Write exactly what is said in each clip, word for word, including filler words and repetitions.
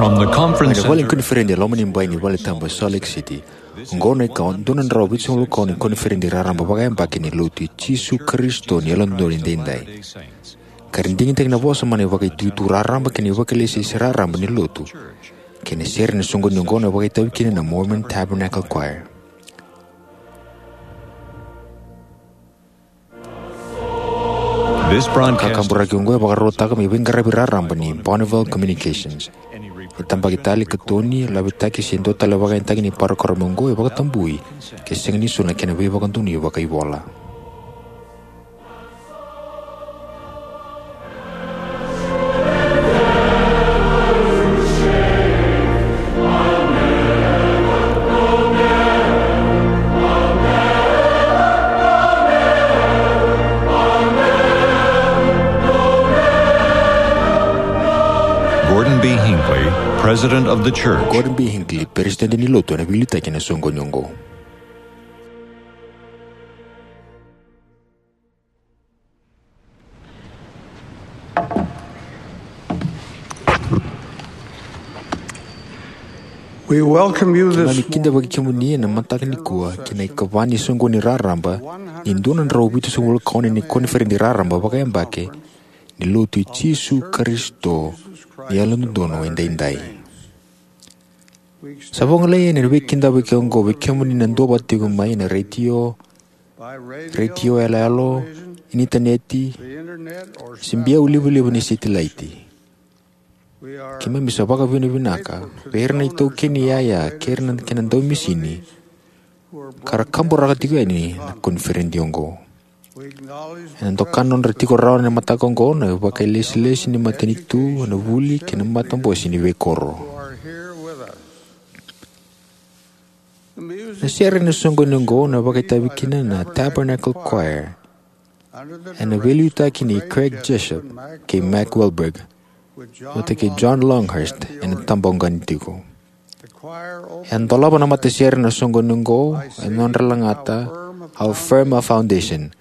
Mai na vale ni koniferedi e loma ni bai ni valetabu e Salt Lake City, oqo na ika dua na drau vitusagavulu ka ono ni koniferedi raraba vakayabaki ni Lotu i Jisu Karisito ni Yalododonu Edaidai. Ka ra digitaki na vosa mana ivakaitutu raraba kei na ivakalesilesi raraba ni Lotu. Kei na sere ena soqoni oqo na vakaitavi kina na Mormon Tabernacle Choir. This broadcast Kakaburaki oqo e vakarautaka me veiqaravi raraba ni Bonneville Communications. E tabaki tale, katoni, lavitaki se dua tale vakayagataki ni parokaramu oqo e vakatabui ke sega ni soli na kena veivakadonui vakaivola. Gordon B. Hinckley, President of the Church. Gordon B. Hinckley, Peresitedi ni Lotu, ena veiliutaki ena soqoni oqo. We welcome you this Keimami kidavaki kemuni ena mataka nikua ki na ikava ni soqoni raraba ni dua na drau vitusagavulu ka ono ni koniferedi raraba vakayabaki ni Lotu i Jisu Karisito ni Yalododonu Edaidai. Sa vagolei yani na veikidavaki oqo vei kemuni na duavata tiko mai ena retio, retio yaloyalo, initaneti, se biau livaliva ni setilaiti. Keimami sa vakavinavinaka vei ira na itaukei ni yaya kei ira na kena daumisini ka ra kaburaka tiko yani na koniferedi oqo. Ena doka na nodra tiko rawa ena mataka oqo na vakailesilesi ni matanitu, na vuli kei na matabose ni veikoro. Na sere ena soqoni oqo na vakaitavi kina na Tabernacle Choir ena veiliutaki nei Craig Jessup kei Mac Wilberg, vata kei John Longhurst ena tabaqani tiko. E a dolava na matasere ena soqoni oqo ena nodra lagata How Firm a Foundation,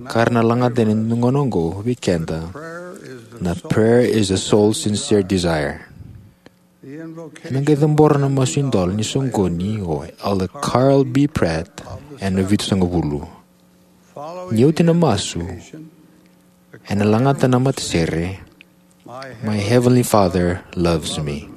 ka ra na lagata ena dua na gauna oqo vei keda na Prayer is a Soul's Sincere Desire. Ena qai cabora na masu idola ni soqoni o Elder Carl B. Pratt ena vitusagavulu. Ni oti na masu, ena lagata na matasere My Heavenly Father Loves Me.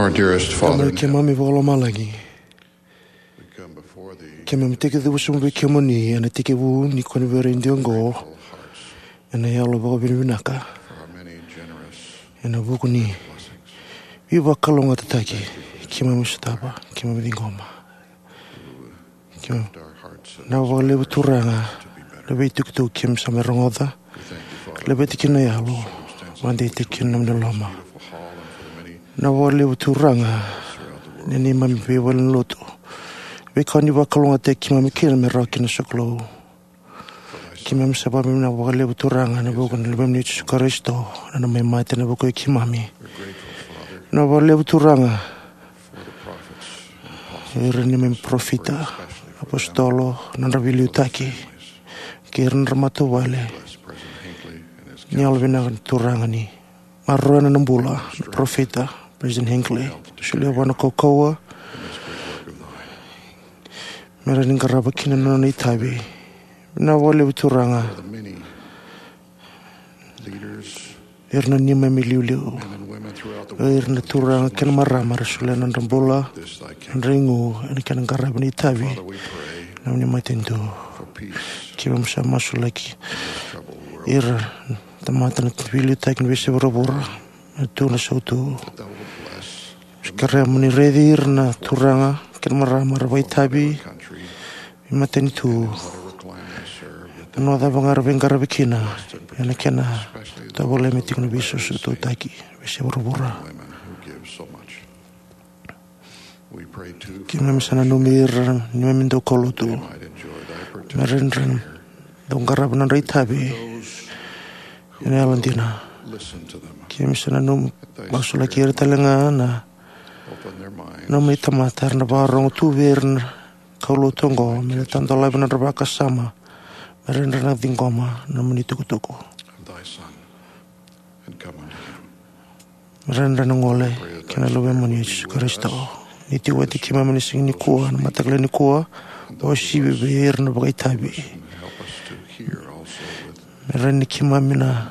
Our dearest Father, keimami vakalomalagi, keimami tekivu sobu vei kemuni ena tekivu ni koniferedi oqo ena yalo vakavinavinaka, ena vuku ni veivakalougatataki keimami sotava, keimami ciqoma. Vinaka vakalevu Turaga na veitukutuku keimami sa mai rogoca. Laveti kina na yalo, vakadeitaki kina na nomuni loloma. Vinaka vakalevu Turaga na neimami veivalenilotu, veika ni vakalougatataki keimami kina me rawa kina na sokalou. Keimami sa vakavinavinaka vakalevu Turaga ena vuku ni Luvemuni o Jisu Karisito, na nona mai mate ena vuku i keimami. Vinaka vakalevu Turaga ira na neimami parofita, apositolo, na nodra veiliutaki, kei ira na nodra matavuvale. Ni yalovinaka na Turaga ni maroroya na nona bula na parofita, President Hinckley, solia vua na kaukauwa me rawa ni qarava kina na nona itavi. Vinaka vakalevu Turaga ira na neimami iliuliu, ira na turaga kei na marama era solia na nodra bula, na nodra igu ena kena qaravi na itavi ni nomuni matanitu. Keimami sa masulaki ira na tamata na veiliutaki ni veiyasai vuravura, na tu na sautu. Kerea mo ni raici ira na turaga kei na marama era vakaitavi veimatanitu, na vanua cava ga era veiqaravi kina, ena kena tovolea me tiko na veisosotautaki e veiyasai vuravura. Keimami sa nanumi ira na neimami daukaulotu me ra dau qarava na nodra itavi ena yalodina. Keimami sa nanumi, masulaki ira tale ga na nomuni tamata era na vakarorogo tu vei ira na kaulotu oqo, me ra tadolavi na nodra vakasama, me ra dau ciqoma na nomuni tukutuku. Me ra dau gole ki na Luvemuni o Jisu Karisito. Ni tiko vata kei keimami ena siga nikua, na mataka lailai nikua, uasivi vei ira na vakaitavi. Me rawa ni keimami na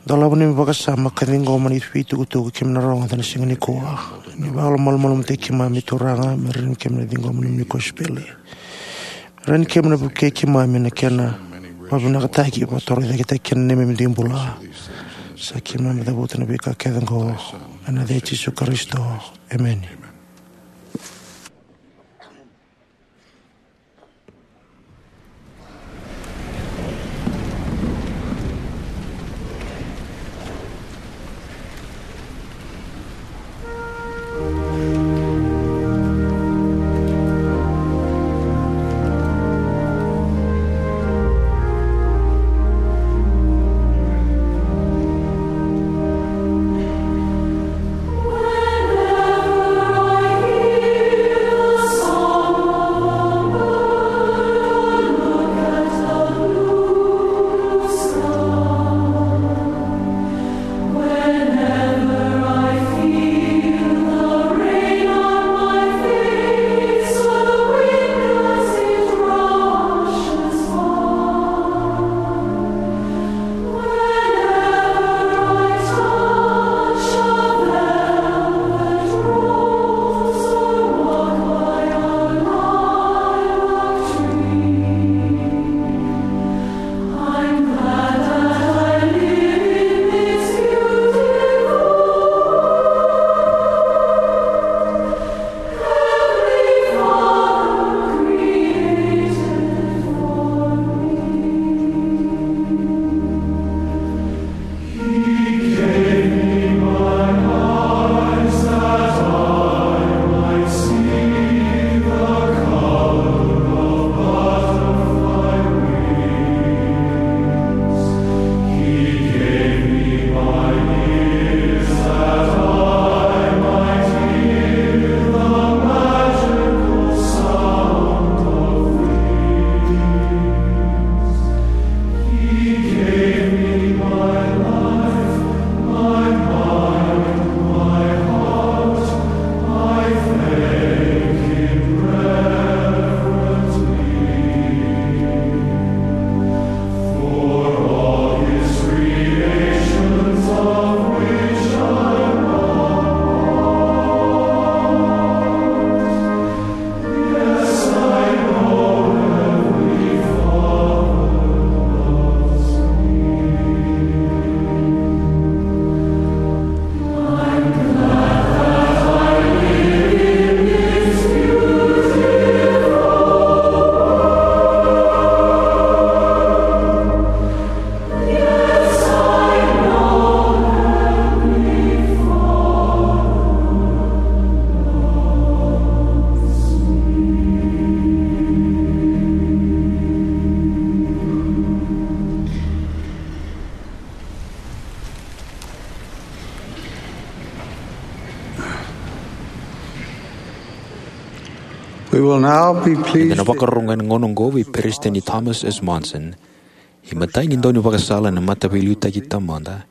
dolava na neimami vakasama ka ciqoma na veitukutuku keimami na rogoca ena siga nikua. Ni vakalomalumalumutaki keimami Turaga, me rawa ni keimami na ciqoma na nomuni kosipeli. Me rawa ni keimami na vukei keimami ena kena vakavinakataki, vakatorocaketaki kina na neimami dui bula. Sa keimami cavuta na veika kece oqo ena yaca i Jisu Karisito. Emeni. We will now be pleased Eda na vakarorogo ena gauna oqo vei Peresitedi Thomas S. Monson, imatai ni daunivakasala ena Mataveiliutaki Taumada.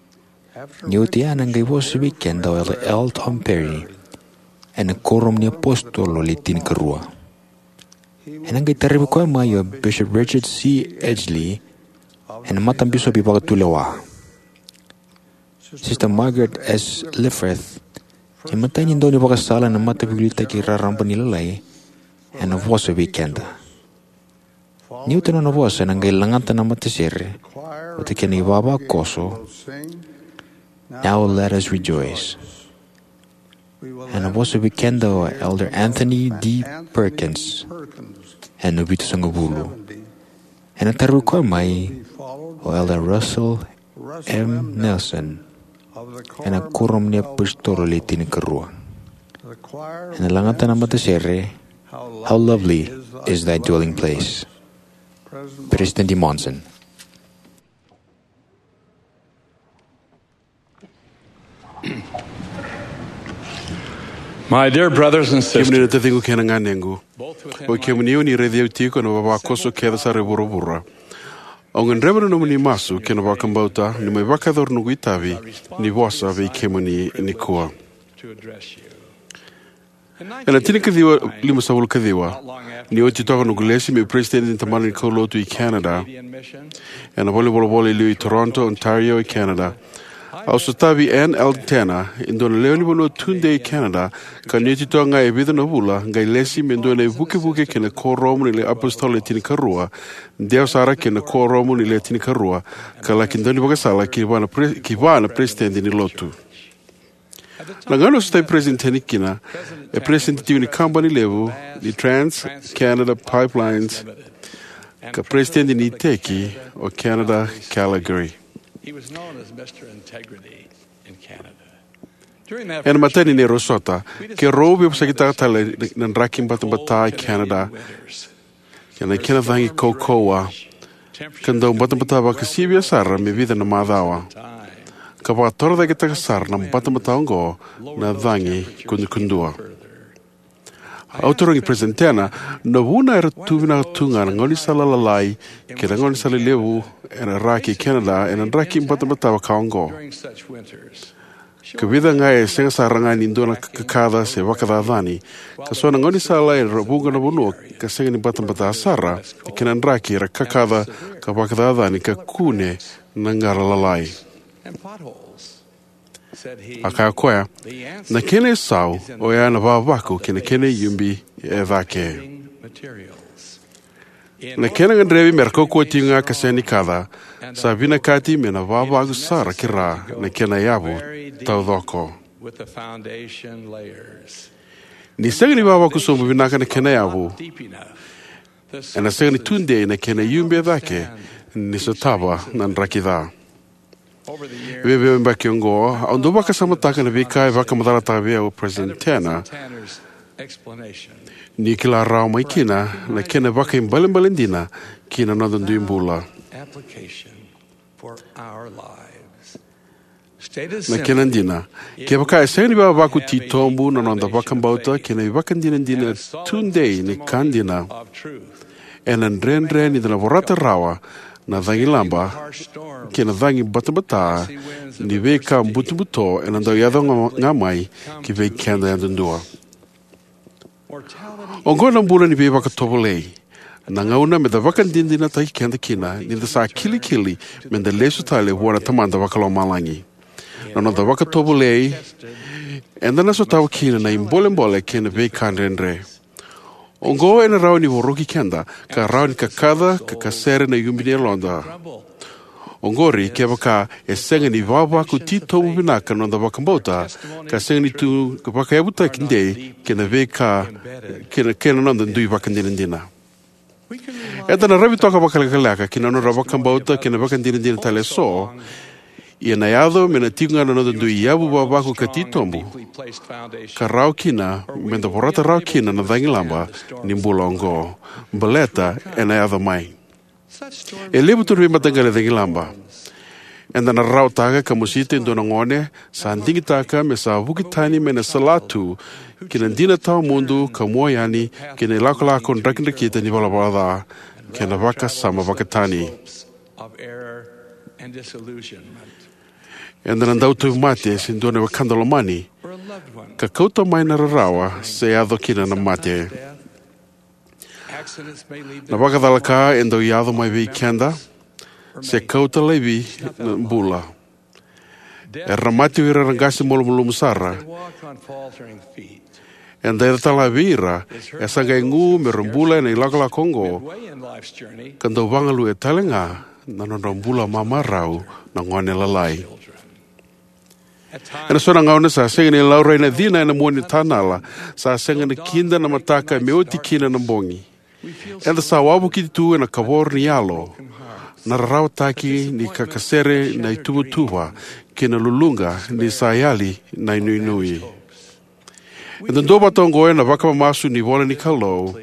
Ni oti ya, ena qai vosa vei keda o Elder L. Tom Perry ena Kuoramu ni iApositolo Le Tinikarua. Ena qai tarovi koya mai o Bishop Richard C. Edgley, ena Matabisopi Vakatulewa. Sister Margaret S. Lefferts, imatai ni daunivakasala ena Mataveiliutaki Raraba ni Lalai, ena vosa vei keda. Ni oti na nona vosa, ena qai lagata na matasere vata kei na ivavakoso, Now Let Us Rejoice. Ena vosa vei keda o Elder Anthony D. Perkins, ena vitusagavulu. Ena tarovi koya mai o Elder Russell M. Nelson, ena Kuoramu ni iApositolo Le Tinikarua. Ena lagata na matasere, How Lovely Is Thy Dwelling Place. Peresitedi Monson. My dear brothers and Kemuni sisters, na taciqu kei na ganequ, o kemuni o ni raici au tiko ena vavakoso kece sara e vuravura. Au gadreva na nomuni masu kei na vakabauta niu mai vakayacora noqu itavi ni vosa vei kemuni nikua. Ena tinikaciwa limasagavulu kaciwa, ni oti toka noqu lesi meu peresitedi ni tabana ni kaulotu i Canada, ena valenivolavola e liu i Toronto, Ontario, e Canada, au sotavi Ann L. Tanner, e dua na lewenivanua tudei e Canada, ka ni oti toka ga e vica na vula, qai lesi me dua na ivukevuke ki na Kuoramu ni iApositolo Le Tinikarua, dewa sara ki na Kuoramu ni Le Tinikarua, ka laki daunivakasala ki vua na pre-, ki vua na peresitedi ni lotu. Na gauna au sotavi peresitedi kina, e peresitedi tiko ni kabani levu ni Trans Canada Pipelines, ka peresitedi ni iteki o Canada Calgary. He was known as Mister Integrity in Canada. During that Ena first imatai ni neirau sota, keirau veivosakitaka tale na draki batabata e Canada, kei na kena cagi kaukauwa, ka dau batabata vakasivia sara me vica na macawa, ka vakatorocaketaka sara na batabata oqo na cagi kudukudua. Au tarogi Peresitedi Tanner na vuna era tu vinaka tu ga na gaunisala lalai kei na gaunisala levu ena ra kei Canada ena draki batabata vaka oqo. Ka vica ga e sega sara ga ni dua na kakaca se vakacacani, ka so na gaunisala era vuqa na vanua ka sega ni batabata sara, kei na draki era kakaca ka vakacacani ka kune na qara lalai. A kaya o koya, na kena isau oya na vavaku kei na kena iubi e cake. Na kena gadrevi me ra kaukauwa tiko ga ka sega ni kaca, sa vinakati me na vavaku sara ki ra na kena yavu taucoko. Ni sega ni vavaku sobu vinaka na kena yavu, ena sega ni tudei na kena iubi e cake ni sotava na draki ca. Vei veiyabaki oqo, au dau vakasamataka na veika e vakamacalataka vei au o Peresitedi Tanner, ni kila rawa mai kina na kena vakaibalebale dina ki na noda dui bula. Na kena dina, kevaka e sega ni vavaku titobu na noda vakabauta kei na ivakadinadina tudei ni ka dina, ena dredre ni da na vorata rawa na cagilaba kei na cagi batabata ni veika butobuto ena dau yaco ga, ga mai ki vei keda yadudua. Oqo na bula ni veivakatovolei, na gauna me da vakadinadinataki keda kina ni da sa kilikili me da lesu tale vua na Tamada Vakalomalagi. Na noda vakatovolei, eda na sotava kina na ibolebole kei na veika dredre. Oqo ena rawa ni voroki keda, ka rawa ni kakaca ka kasere na iubi ni yaloda. Oqori kevaka e sega ni vavaku titobu vinaka na noda vakabauta, ka sega ni tu ka vakayavutaki dei kei na veika, kei na, kei na noda dui vakadinadina. Eda na ravi toka vakalekaleka ki na nodra vakabauta kei na vakadinadina tale eso, ia na yaco me na tiko ga na noda dui yavu vavaku ka titobu, ka rawa kina me da vorata rawa kina na cagilaba ni bula oqo, baleta ena yaco mai. E levu tu na veimataqali cagilaba. Eda na rarawataka ka mosita e dua na gone sa digitaka me sa vuki tani mai na salatu ki na dina tawamudu ka mua yani ki na ilakolako drakidrakita ni ivalavala ca kei na vakasama vakatani. Eda na dau tauvimate se dua na wekada lomani ka kauta mai na rarawa se yaco kina na mate. Na vakacalaka e dau yaco mai vei keda se kauta laivi na bula. Era na mate o ira era qase malumalumu sara. Eda yaco tale ga vei ira e sa qai gu me ra bula ena ilakolako oqo, ka dau vagaluya tale ga na nodra bula mamarau na gone lalai. Ena so na gauna sa sega ni laurai na cina ena mua ni tanala, sa sega ni kida na mataka me oti kina na bogi. Eda sa wavokiti tu ena kavoro ni yalo, na rarawataki ni kakasere na ituvatuva kei na luluqa ni sa yali na inuinui. Eda duavata oqo ena vakamamasu ni ivola ni Kalou.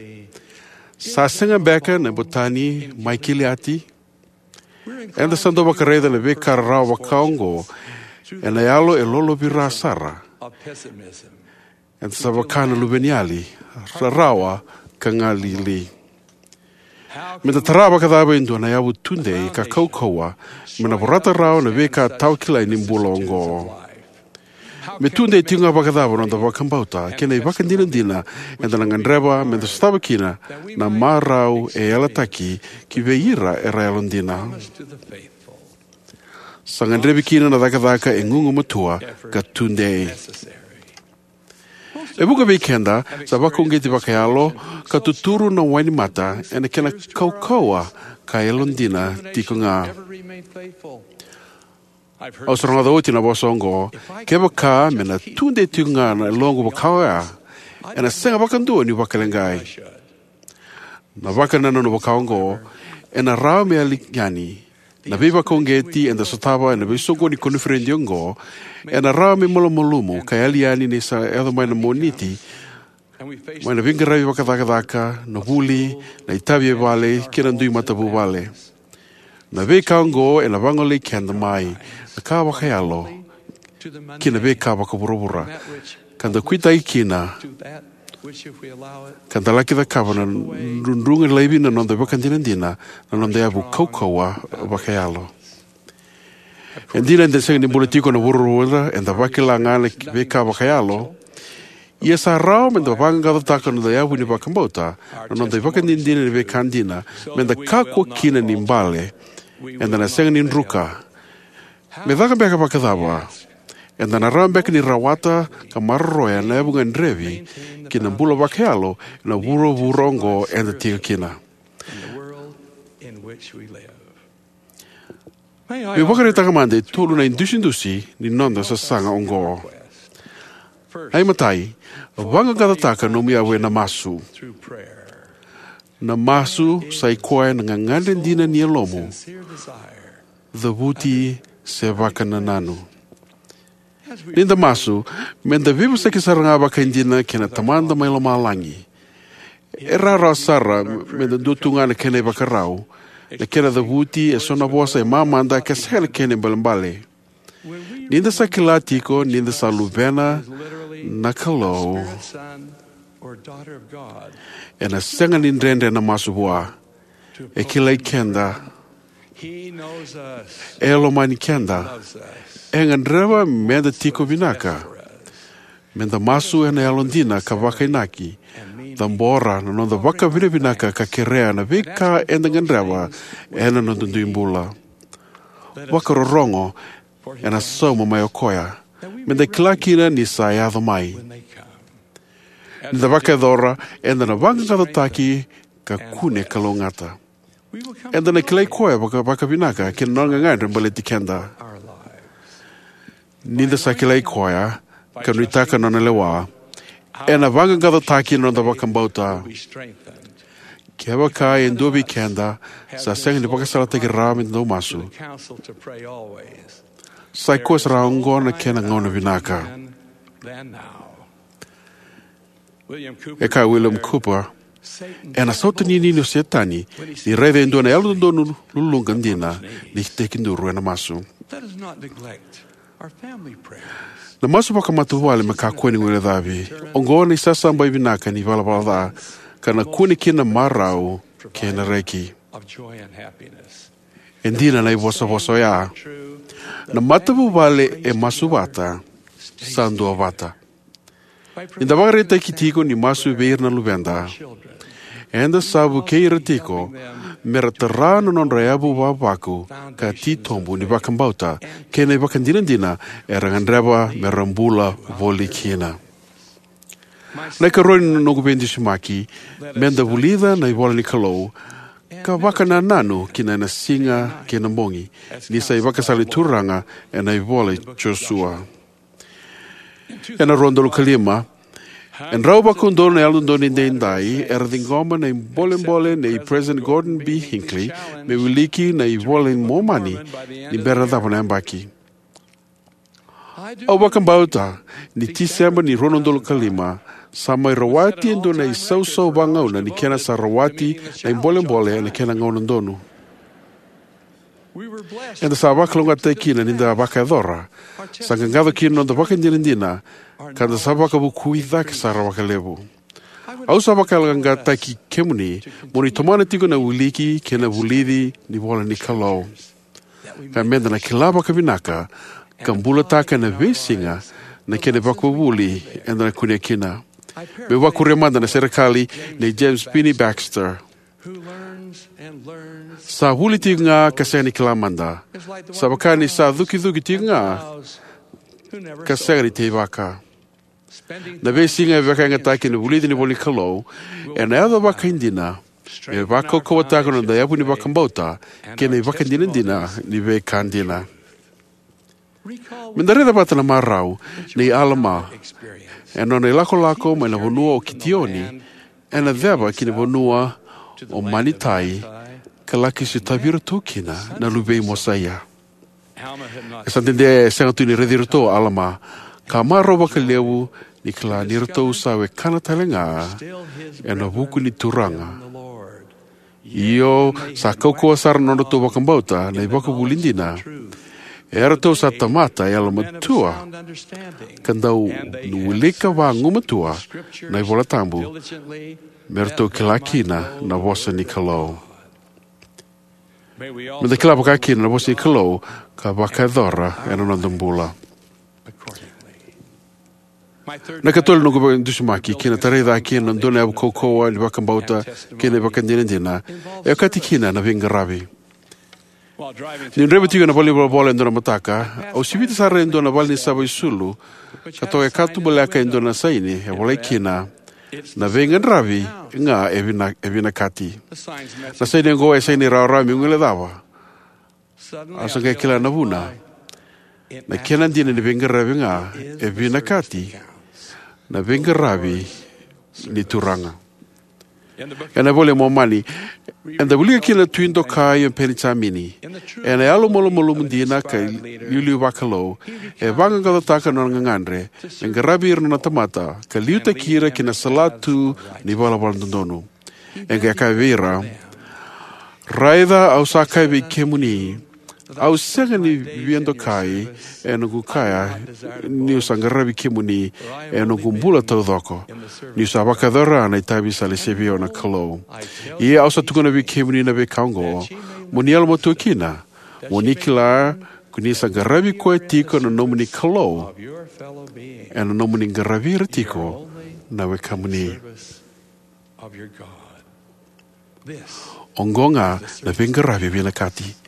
Sa sega beka na ibotani mai Kiliati? Eda sa dau vakaraica na veika rarawa vaka oqo ena yalo e lolovira sara. Eda sa vaka na luveniyali, rarawa ka galili. Meda tara vakacava e dua na yavu tudei ka kaukauwa me na vorata rawa na veika tawakilai ni bula oqo? Me tudei tiko ga vakacava na noda vakabauta kei na ivakadinadina eda na gadreva meda sotava kina na marau e yalataki ki vei ira era yalodina? Sa gadrevi kina na cakacaka e gugumatua ka tudei. E vuqa vei keda sa vakauqeti vakayalo ka tuturu na wainimata ena kena kaukauwa ka yalodina tiko ga. Au sa rogoca oti na vosa oqo: "Kevaka me na tudei tiko ga na yaloqu vaka oya, ena sega vakadua niu vakaleqai." Na vakanananu vaka oqo ena rawa me yali yani. Na veivakauqeti eda sotava ena veisoqoni ni koniferedi oqo ena rawa me malumalumu ka yali yani ni sa yaco mai na Moniti, mai na veiqaravi vakacakacaka, na vuli, na itavi e vale kei na dui matavuvale. Na veika oqo ena vagolei keda mai na ka vakayalo ki na veika vakavuravura, ka da kuitaki kina, ka da laki cakava na drudruga laivi na noda ivakadinadina, na noda yavu kaukauwa vakayalo. E dina eda sega ni bula tiko ena vuravura eda vakila ga na veika vakayalo, ia sa rawa meda vaqaqacotaka na noda yavu ni vakabauta, na noda ivakadinadina ni veika dina, meda kakua kina ni bale. Eda na sega ni druka. Me caka beka vakacava? Eda na rawa beka ni rawata ka maroroya na yavu gadrevi ki na bula vakayalo ena vuravura oqo eda tiko kina? Meu vakaraitaka mada e tolu na idusidusi ni noda sasaga oqo. Na imatai, vaqaqacotaka nomu yavu ena masu. Na masu sa i koya na gagadre dina ni yalomu, cavuti, se vakanananu. Ni da masu, meda veivosaki sara ga vakaidina kei na Tamada mai Lomalagi. E rawarawa sara meda dua tu ga na kena ivakarau, na kena cavuti e so na vosa e mamada ka sega na kena ibalebale. Ni da sa kila tiko ni da sa luvena na Kalou, ena sega ni dredre na masu vua. E kilai keda. E lomani keda. E gadreva meda tiko vinaka. Meda masu ena yalodina ka vakainaki, cabora na noda vakavinavinaka ka kerea na veika eda gadreva ena noda dui bula. Vakarorogo, ena sauma mai o koya, meda kila kina ni sa yaco mai. Ni da vakayacora, eda na vaqaqacotaki ka kune kalougata. Eda na kilai koya vaka, vakavinaka kei na nona gagadre baleti keda. Ni da sa kilai koya ka nuitaka na nona lewa, ena vaqaqacotaki na noda vakabauta. Kevaka e dua vei keda sa sega ni vakasalataki rawa meda dau masu, sa i koya sara oqo na kena gauna vinaka. E kaya o William Cowper, Ena sautaninini o Setani ni raica e dua na yalododonu luluqa dina ni tekiduru ena masu. Let us not neglect our family prayers. Na masu vakamatavuvale me kakua ni guilecavi. Oqo na isasabai vinaka ni valavala ca, ka na kune kina na marau kei na reki. Of joy and happiness. E dina na ivosavosa oya. Na matavuvale e masu vata, sa dua vata. Ni da vakaraitaki tiko ni masu vei ira na luveda, eda sa vukei ira tiko me ra tara na nodra yavu vavaku ka titobu ni vakabauta kei na ivakadinadina era gadreva me ra bula voli kina. Na ikarua ni noqu veidusimaki, me da vulica na ivola ni Kalou ka vakanananu kina ena siga kei na bogi, ni sa ivakasala ni Turaga ena ivola i Josua. Ena rua na udolu ka lima, e drau vakaudolu na yalododonu edaidai era ciqoma na ibolebole nei President Gordon B. Hinckley me wiliki na iVola i Momani ni bera na cava na yabaki. Au vakabauta ni Tiseba ni rua na udolu ka lima sa mai rawati e dua na isausau vagauna ni kena sa rawati na ibolebole ena kena gauna donu. Eda sa vakalougatataki kina ni da vakayacora, sa qaqaco kina na noda vakadinadina, ka da sa vakavukui cake sara vakalevu. Au sa vakayaloqaqataki kemuni mo ni tomana tiko na wiliki kei na vulici ni ivola ni Kalou, ka me da na kila vakavinaka ka bulataka ena veisiga na kena ivakavuvuli eda na kunea kina. Meu vakuria mada na serekali nei James Phinney Baxter. Sa vuli tiko ga ka sega ni kila mada. Sa vaka ni sa cukicuki tiko ga ka sega ni teivaka. Na veisiga e vakayagataki ena vulici ni ivola ni Kalou ena yaco vakaidina me vakaukauwataka na noda yavu ni vakabauta kei na ivakadinadina ni veika dina. Me da raica vata na marau nei Alama ena nona ilakolako mai na vanua o Kitioni ena ceva ki na vanua o Manitai, ka laki sotavi iratou kina na luvei Mosaia. E sa dede e sega tu ni raici iratou o Alama, ka marau vakalevu ni kila ni ratou sa wekana tale ga ena vuku ni Turaga. Io, sa kaukauwa sara na nodratou vakabauta na ivakavuvuli dina. Eratou sa tamata yalomatua, ka dau wilika vagumatua na iVola Tabu, me ratou kila kina na vosa ni Kalou. Me da kila vaka kina na vosa ni Kalou ka vakayacora ena noda bula. Na ikatolu ni noqu veidusimaki kei na tarai cake na dua na yavu kaukauwa ni vakabauta kei na ivakadinadina e okati kina na veiqaravi. Niu draiva tiko ena valenivolavola e dua na mataka, au sivita sara e dua na valenisava isulu ka toka e katubaleka e dua na saini e volai kina, "Na veiqaravi ga e vina-, e vinakati." Na saini oqo e saini rawarawa meu guilecava. Au sa qai kila na vuna. Na kena dina ni veiqaravi ga e vinakati, na veiqaravi ni Turaga. Ena iVola i Momani, eda wilika kina na tui dokai o Penijamini. Ena yalo malumalumu dina ka iliuliu vakalou, e vaqaqacotaka na nona gagadre me qaravi ira na nona tamata ka liutaki ira ki na salatu ni valavala dodonu. E qai kaya vei ira, "Raica, au sa kaya vei kemuni, au sega ni via dokai ena noqu kaya niu sa qaravi kemuni ena noqu bula taucoko, niu sa vakayacora na itavi sa lesia vei au na Kalou. Ia au sa tukuna vei kemuni na veika oqo, mo ni yalomatua kina, mo ni kila ko ni sa qaravi koya tiko na nomuni Kalou, ena nomuni qaravi ira tiko na wekamuni." Oqo ga na veiqaravi vinakati.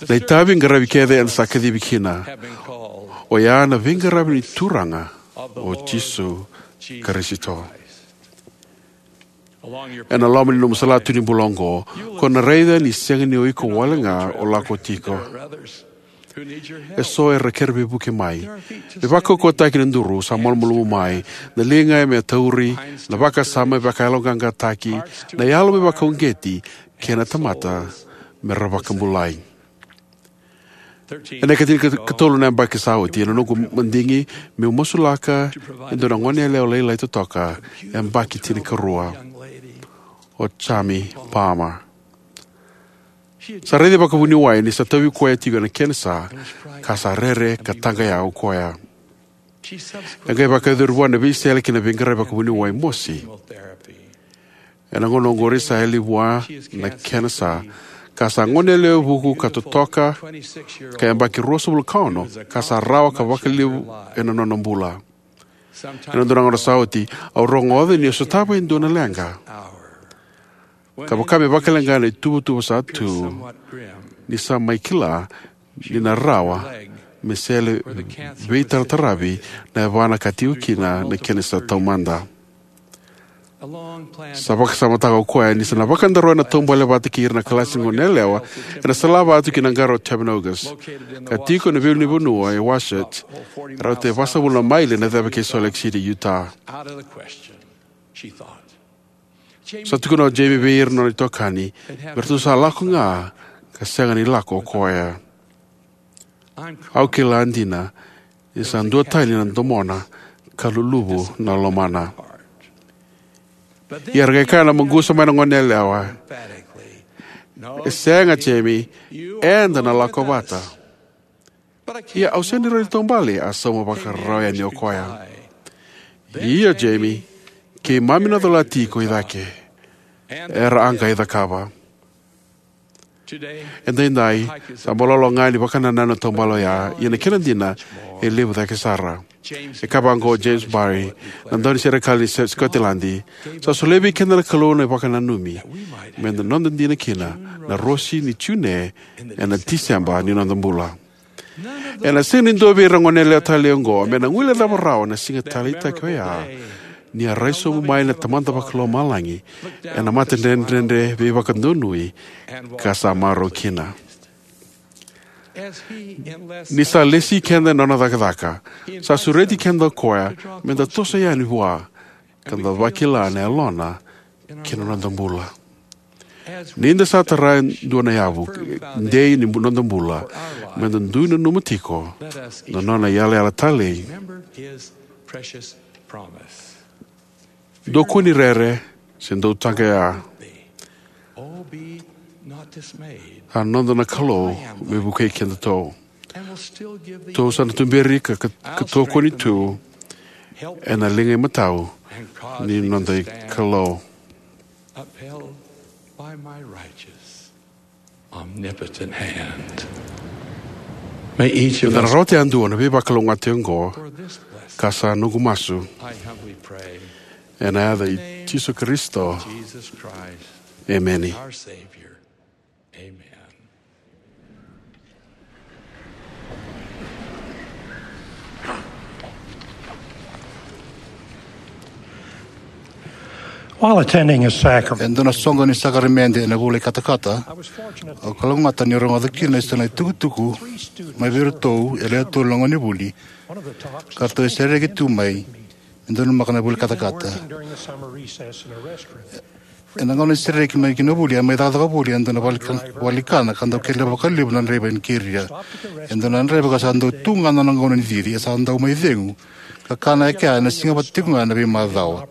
Na itavi qaravi kece eda sa kacivi kina, oya na veiqaravi ni Turaga o Jisu Karisito. Ena loma ni nomu salatu ni bula oqo, ko na raica ni sega ni o iko wale ga o lako tiko. Eso era kere veivuke mai. Me vakaukauwataki na duru sa malumalumu mai, na liga me tauri, na vakasama me vakayaloqaqataki, na yalo me vakauqeti, kei na tamata me ra vakabulai. Ena ikatinikatolu na yabaki sa oti, ena noqu madigi meu masulaka e dua na goneyalewa lailai totoka, yabaki tinikarua. o Jami Palmer. Sa raici vakavuniwai ni sa tauvi koya tiko na kenisa, ka sa rere ka taqaya o koya. E qai vakayacori vua na veisele ki na veiqaravi vakavuniwai mosi. Ena gauna oqori sa yali vua na kenisa, ka sa goneyalewa vuku ka totoka, ka yabaki ruasagavulu ka ono, ka sa rawa ka vakalevu ena nona bula. Ena dua na gauna sa oti, au rogoca ni a sotava e dua na leqa. Ka vaka me vakaleqa na ituvatuva sa tu, ni sa mai kila ni na rawa me sele veitarataravi na yavana ka tiko kina na kenisa taumada. Sa vakasamataka o koya ni sa na vakadaroya na taubale vata kei ira na kalasi ni goneyalewa ena salavatu ki na qara o Timpanogos, ka tiko ena veilunivanua e Wasatch, rauta e vasagavulu na maile na ceva kei Salt Lake City, Utah. Sa tukuna o Jami vei ira na nona itokani me ratou sa lako ga ka sega ni lako o koya. Au kila dina ni sa duatani na domona ka luluvu na lomana. Ia era qai kaya na maqusa mai na goneyalewa, "E sega, Jami, eda na lako vata." "Ia au sega ni rawa ni taubale," a sauma vakarau yani o koya. "Ia, Jami, keimami na cola tiko i cake. Era a qai cakava." Edaidai, sa balolo ga ni vakanananu na taubale oya, ia na kena dina e levu cake sara. E kaya vaqo o James Barrie, na dauniserekali ni Scotiladi, "Sa solia vei keda na Kalou na vakananumi me da noda dina kina na rosi ni June ena Tiseba ni noda bula." Ena sega ni dua vei ira na goneyalewa talei oqo me na guilecava rawa na siga taleitaki oya, ni a rai sobu mai na Tamada Vakalomalagi ena matadredredre veivakadonui ka sa marau kina. Ni sa lesi keda ena nona cakacaka, sa sureti keda o koya me da toso yani vua ka da vakila na yalona kei na noda bula. Ni da sa tara e dua na yavu dei ni bu-, noda bula, me da dui nanuma tiko na nona yalayala talei. Dou kua ni rere, se dou taqaya. A noda na Kalou me vukei kedatou. Tou sa na tuberi ka, ka, ka tokoni tu ena liga imatau ni noda iKalou. Upheld by my righteous, omnipotent hand. May each of us, me da na rawata yadua na veivakalougatataki oqo, for this blessing, ka sa noqu masu, I humbly pray, ena yaca i Jisu Karisito. Jesus Christ, emeni. Our Savior. Amen. While attending a sacrament, e dua na soqo ni sakaramede ena vula i katakata, I was fortunate, au kalougata ni rogoca kina e so na itukutuku mai vei iratou e lewe tolu na gonevuli, one of the talks, ka ratou e sereki tu mai me donumaka na vuli katakata. Working during the summer recess in a restaurant. Ena gauna ni sereki mai ki na vuli, a mai cakacaka voli e dua na vale ni kana ka dau kele vakalevu na draiva ni keria. E dua na draiva ka sa dau tu ga na nona gauna ni cici, e sa dau mai cegu ka kana e kea ena siga vata tiko ga ena veimacawa.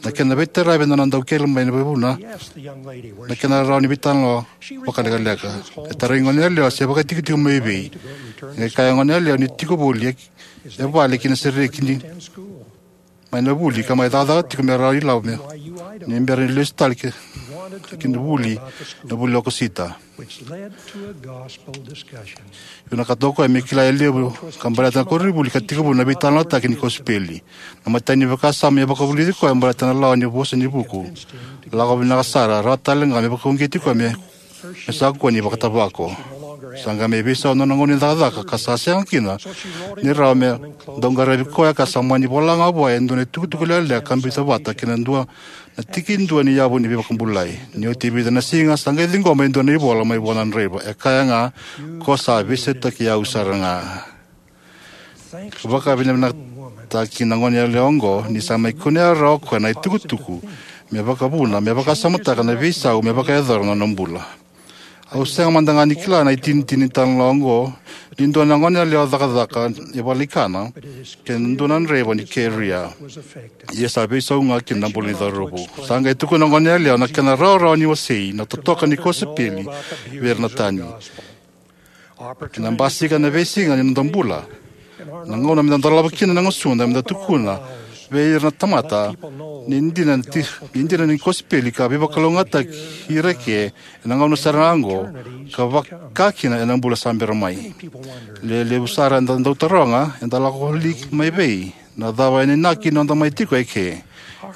Na kena veitaravi ena nona dau kele mai na vuna na kena rawa ni veitalanoa vakalekaleka. E tarai gone yalewa se vakaitikotiko mai vei. E kaya gone yalewa ni tiko voli e vale ki na sereki ni mai na vuli ka mai cakacaka tiko me rawa ni lako me, ni bera ni lesu tale ki, ki na vuli, na vuli o Okosita. Vinakata o koya me kila e levu ka baleta na koronivuli ka tekivu na veitalanoataki ni kosipeli. Na imatai ni vakasama e vakavulici koya baleta na lawa ni vosa ni vuku. Lako vinaka sara, rawa tale ga me vakauqeti koya me me sa kua ni vakatavako. Sa qai mai veisau na nona gauna ni cakacaka ka sa sega kina ni rawa me dau qaravi koya ka sa mani vola ga vua e dua na itukutuku lekaleka ka biuta vata kei na dua na tikidua ni yavu ni veivakabulai. Ni oti e vica na siga sa qai ciqoma e dua na ivola mai vua na draiva e kaya ga, "Ko sa veisautaki au sara ga." Vakavinavinakataki na gone yalewa oqo ni sa mai kunea rawa o koya na itukutuku me vakavuna me vakasamataka na veisau me vakayacora na nona bula. Au sega mada ga ni kila na itinitini ni talanoa oqo ni dua na goneyalewa cakacaka e valenikana kei na dua na draiva ni keria. Ia sa veisau ga ki na bula ni cauravou. Sa qai tukuna na goneyalewa na kena rawarawa ni wasei na totoka ni kosipeli vei ira na tani. Ena basika na veisiga ni noda bula, na gauna meda dolava kina na gusuda meda tukuna vei ira na tamata ni dina, ni dina ni kosipeli ka veivakalougatataki ira eke ena gauna sara ga oqo ka vakakina ena bula sa bera mai. Lewe levu sara eda dau taroga, eda lako li mai vei? Na cava ena inaki ni noda mai tiko eke?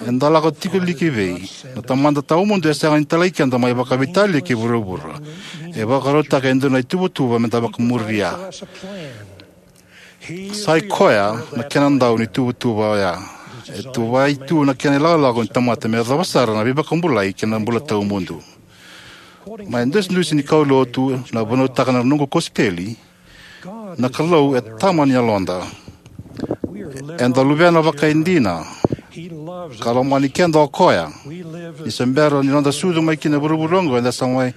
Eda lako tiko li ki vei? Na Tamada Tawamudu e sega ni talai keda mai vakaveitalia ki vuravura. E vakarautaka e dua na ituvatuva meda vakamuria. Sa i koya na kena dau ni tuvatuva oya. E tuvai tu na kena ilakolako ni tamata me yacova sara na veivakabulai kei na bula tawamudu. Mai dusidusi ni kaulotu na vunautaka na noqu kosipeli, na Kalou e tama ni yaloda. Eda luvena vakaidina ka lomani keda o koya. Ni se bera ni noda sucu mai ki na vuravura oqo, eda sa mai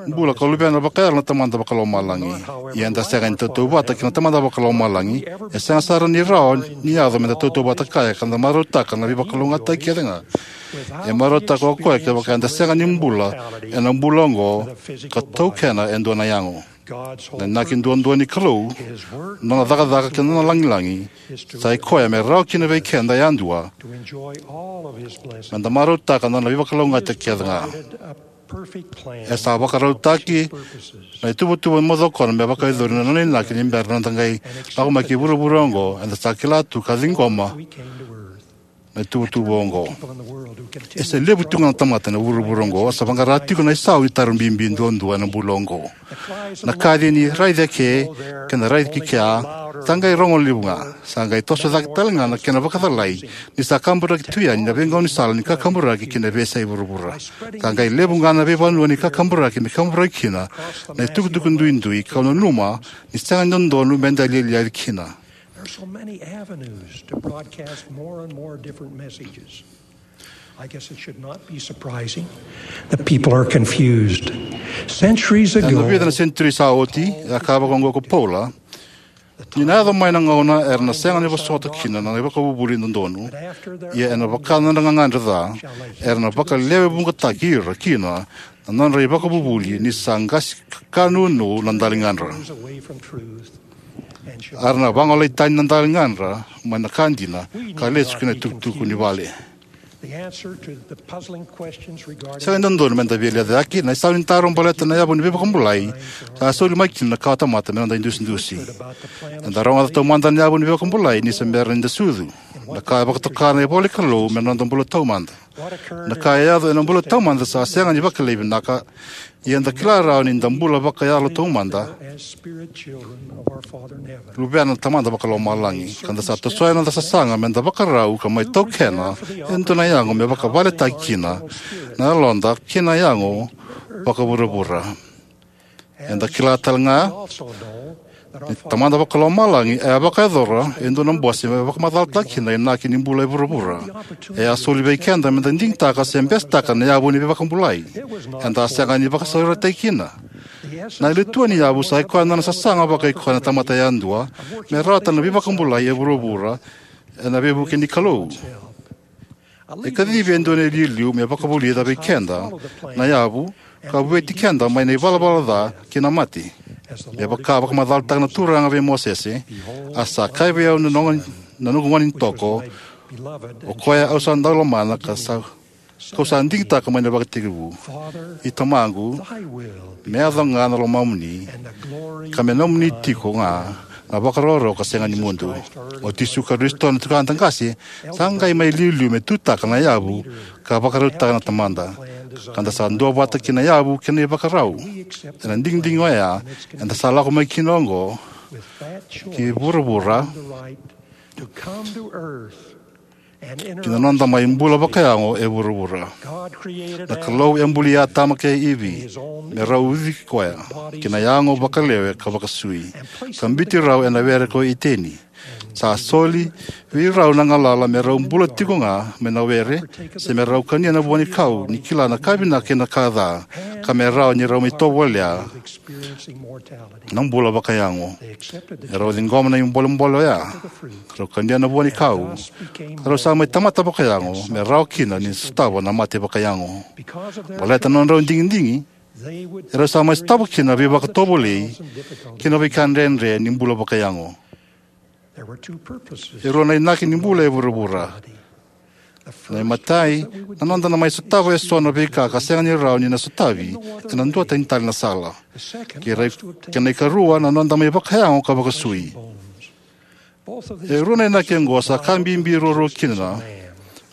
bula ka luvena vakayalo na Tamada Vakalomalagi. Ia eda sega ni tautauvata kei na Tamada Vakalomalagi. E sega sara ni rawa ni yaco meda tautauvata kaya ka da marautaka na veivakalougatataki kece ga. E marautaka o koya kevaka eda sega ni bula ena bula oqo ka taukena e dua na yago. Na inaki duadua ni Kalou, nona cakacaka kei na nona lagilagi, sa i koya me rawa kina vei keda yadua meda marautaka na nona veivakalougatataki kece ga. E sa vakarautaki na ituvatuva moce o koya me vakayacori na nona inaki ni bera na noda qai lako mai ki vuravura oqo. Eda sa kila tu ka ciqoma na ituvatuva oqo. E se levu tiko ga na tamata ena vuravura oqo sa vaqara tiko na isau ni taro bibi duadua ena bula oqo. Na kaci ni raici eke kei na raici kea sa qai rogo levu ga. Sa qai toso cake tale ga na kena vakacalai ni sa kaburaki tu yani na veigaunisala ni kakaburaki ki na veiyasai vuravura. Sa qai levu ga na veivanua ni kakaburaki me kaburaki kina na itukutuku duidui, kau nanuma ni sega ni dodonu meda lialiai kina. There are so many avenues to broadcast more and more different messages. I guess it should not be surprising that people are confused. Centuries ago, ena vica na senituri sa oti, e a kaya vakaoqo ko Paula, ni na yaco mai na gauna era na sega ni vosota kina na ivakavuvuli dodonu, ia ena vaka na nodra gagadre ca, era na vakalewevuqataki ira kina na nodra ivakavuvuli, ni sa qasi ka nunu na daligadra. Era na vagolei tani na daligadra mai na ka dina ka lesu ki na itukutuku ni vale. Sega ni dodonu meda via lecavi na isau ni taro baleta na yavu ni veivakabulai. Sa soli mai kina na kawatamata me noda idusidusi. Eda rogoca taumada na yavu ni veivakabulai ni se bera ni da sucu. Na ka e vakatoka na ivola ni Kalou me noda bula taumada. Na ka e yaco ena bula taumada sa sega ni vakilai vinaka. Ia eda kila rawa ni da bula vakayalo taumada, luvena na Tamada Vakalomalagi, ka da sa tosoya na noda sasaga me da vakarau ka mai taukena e dua na yago me vakavaletaki kina na yaloda kei na yago vakavuravura. Eda kila tale ga ni Tamada Vakalomalagi e a vakayacora e dua na bose me vakamacalataka kina na inaki ni bula e vuravura. E a soli vei keda me da digitaka se besetaka na yavu ni veivakabulai. Eda a sega ni vakasaurarataki kina. Na letua ni yavu sa i koya na nona sasaga vakaikoya na tamata yadua me rawata na veivakabulai e vuravura ena veivuke ni Kalou. E kacivi e dua na iliuliu me vakavulica vei keda na yavu ka vueti keda mai na ivalavala ca kei na mate. Me vaka vakamacalataka na Turaga vei Mosese, a sa kaya vei au na noqu, na noqu gone ni toko, o koya au sa dau lomana ka sa, kau sa digitaka mai na ivakatekivu. I Tamaqu, me yaco ga na lomamuni, ka me nomuni tiko ga na vakarokoroko ka sega ni mudu. O Jisu Karisito na tukada qase sa qai mai liuliu me tutaka na yavu ka vakarautaka na Tamada. Ka da sa duavata ki na yavu kei na ivakarau. Ena digidigi oya eda sa lako mai kina oqo ki vuravura, ki na noda mai bula vakayago e vuravura. Na Kalou e bulia Atama kei Ivi me rau uci koya ki na yago vakalewe ka vakasui, ka biuti rau ena were ko Iteni. Sa soli vei rau na galala me rau bula tiko ga mai na were, se me rau kania na vua ni kau, ni kila na ka vinaka kei na ka ca, ka me rawa ni rau mai tovolea na bula vakayago. E rau ciqoma na ibolebole oya, ka rau kania na vua ni kau, ka rau sa mai tamata vakayago, me rawa kina ni sotava na mate vakayago. Baleta na nodrau digidigi, e rau sa mai sotava kina na veivakatovolei kei na veika dredre ni bula vakayago. E rua na inaki ni bula e vuravura. Na imatai, na noda na mai sotava eso na veika ka sega ni rawa ni na sotavi ena dua tani tale na sala. Kei rai, kei na ikarua, na noda mai vakayago ka vakasui. E rua na inaki oqo sa ka bibi ruarua kina na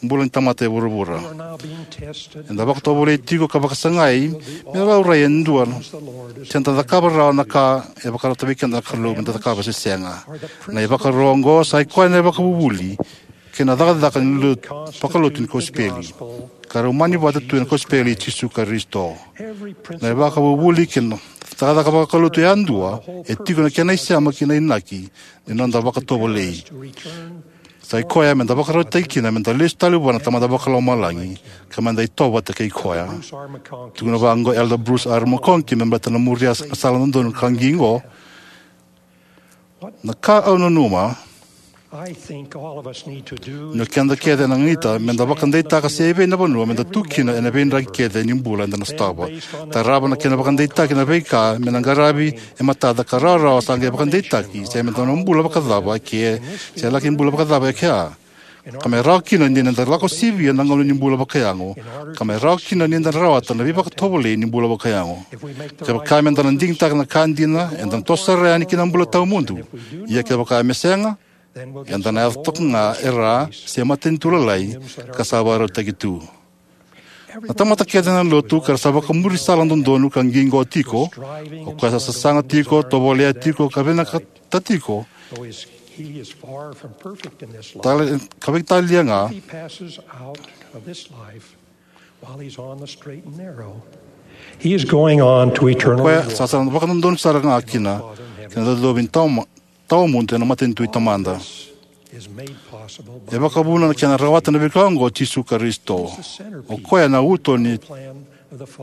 bula ni tamata e vuravura. Eda vakatovolei tiko ka vakasagai me laurai e dua, se da cakava rawa na ka e vakarota vei keda na Kalou me da cakava se sega. Na ivakaro oqo sa i koya na ivakavuvuli kei na cakacaka ni lotu, vakalotu ni kosipeli, ka rau mani vata tu ena kosipeli i Jisu Karisito. Na ivakavuvuli kei na cakacaka vakalotu yadua e tiko na kena isema kei na inaki ni noda vakatovolei. Sa i koya me da vakarautaki kina me da lesu tale vua na Tamada Vakalomalagi, ka me da itovo vata kei koya. Tukuna vaqo Elder Bruce R. McConkie me baleta na muria na sala dodonu ka qiqo: Na ka au nanuma ni o keda kece ena ganita me da vakadeitaka se evei na vanua me da tu kina ena veidraki kece ni bula eda na sotava. Tarava na kena vakadeitaki na veika me na qaravi e matada ka rawarawa sa qai vakadeitaki se me da na bula vakacava eke, se laki bula vakacava eke. Ka me rawa kina ni da lako sivia na gauna ni bula vakayago, ka me rawa kina ni da rawata na veivakatovolei ni bula vakayago. Kevaka me da na digitaka na ka dina, eda na toso sara yani ki na bula tawamudu. Ia kevaka me sega, eda na yaco toka ga e ra se matanitu lalai ka sa vakarautaki tu. Na tamata kece na lotu ka ra sa vakamuri sala dodonu ka qiqo tiko, o koya sa sasaga tiko, tovolea tiko, ka vinakata tiko, tale, ka veitalia ga, o koya sa sa vakadodonu sara ga kina, kina cocovi ni tawa, tawamudu ena matanitu i Tamada. E vakavuna na kena rawata na veika oqo o Jisu Karisito. O koya na uto ni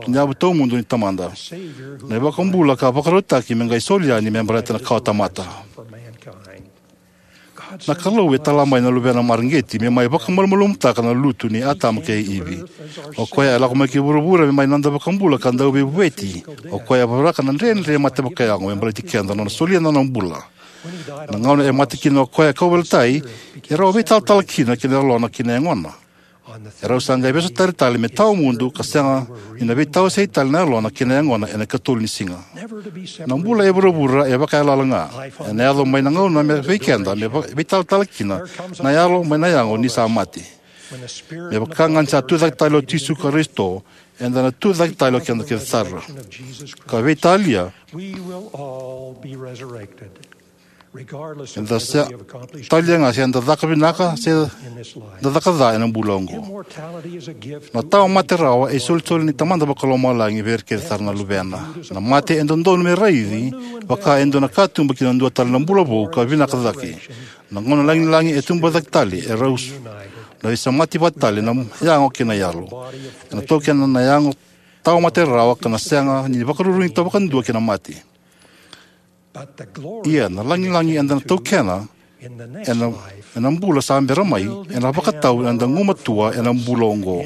yavu tawamudu ni Tamada, na iVakabula ka vakarautaki me qai soli yani me baleta na kawatamata. Na Kalou e tala mai na Luvena mareqeti me mai vakamalumalumutaka na lutu nei Atama kei Ivi. O koya e lako mai ki vuravura me mai noda iVakabula ka Dauveivueti. O koya e voraka na dredre mate vakayago me baleti keda, na nona solia na nona bula. Na gauna e mate kina o koya e kauveilatai, e rau a veitalatala kina ki na yalona kei na yagona. E rau sa qai veisotari tale me tawamudu ka sega ni na veitawasei tale na yalona kei na yagona ena ikatolu ni siga. Na bula e vuravura e vakayaloyalo ga. Ena yaco mai na gauna me vei keda me va-, veitalatala kina na yalo mai na yago ni sa mate. Me vaka ga ni sa tucake tale o Jisu Karisito, eda na tucake tale o keda kece sara. Ka veitalia, eda sa talia ga se eda caka vinaka se da caka ca ena bula oqo. Na tawa mate rawa e isolisoli ni Tamada Vakalomalagi vei ira kece sara na luvena. Na mate e dodonu me raici vaka e dua na katuba ki na dua tale na bula vou ka vinaka cake. Na gauna lagilagi e tuba cake tale, e rau s-, na veisemati vata tale na yago kei na yalo. Ena taukena na yago tawa mate rawa ka na sega ni vakarurugi vakadua kei na mate. Ia na lagilagi eda na taukena ena, ena bula sa bera mai, ena vakatau eda gumatua ena bula oqo.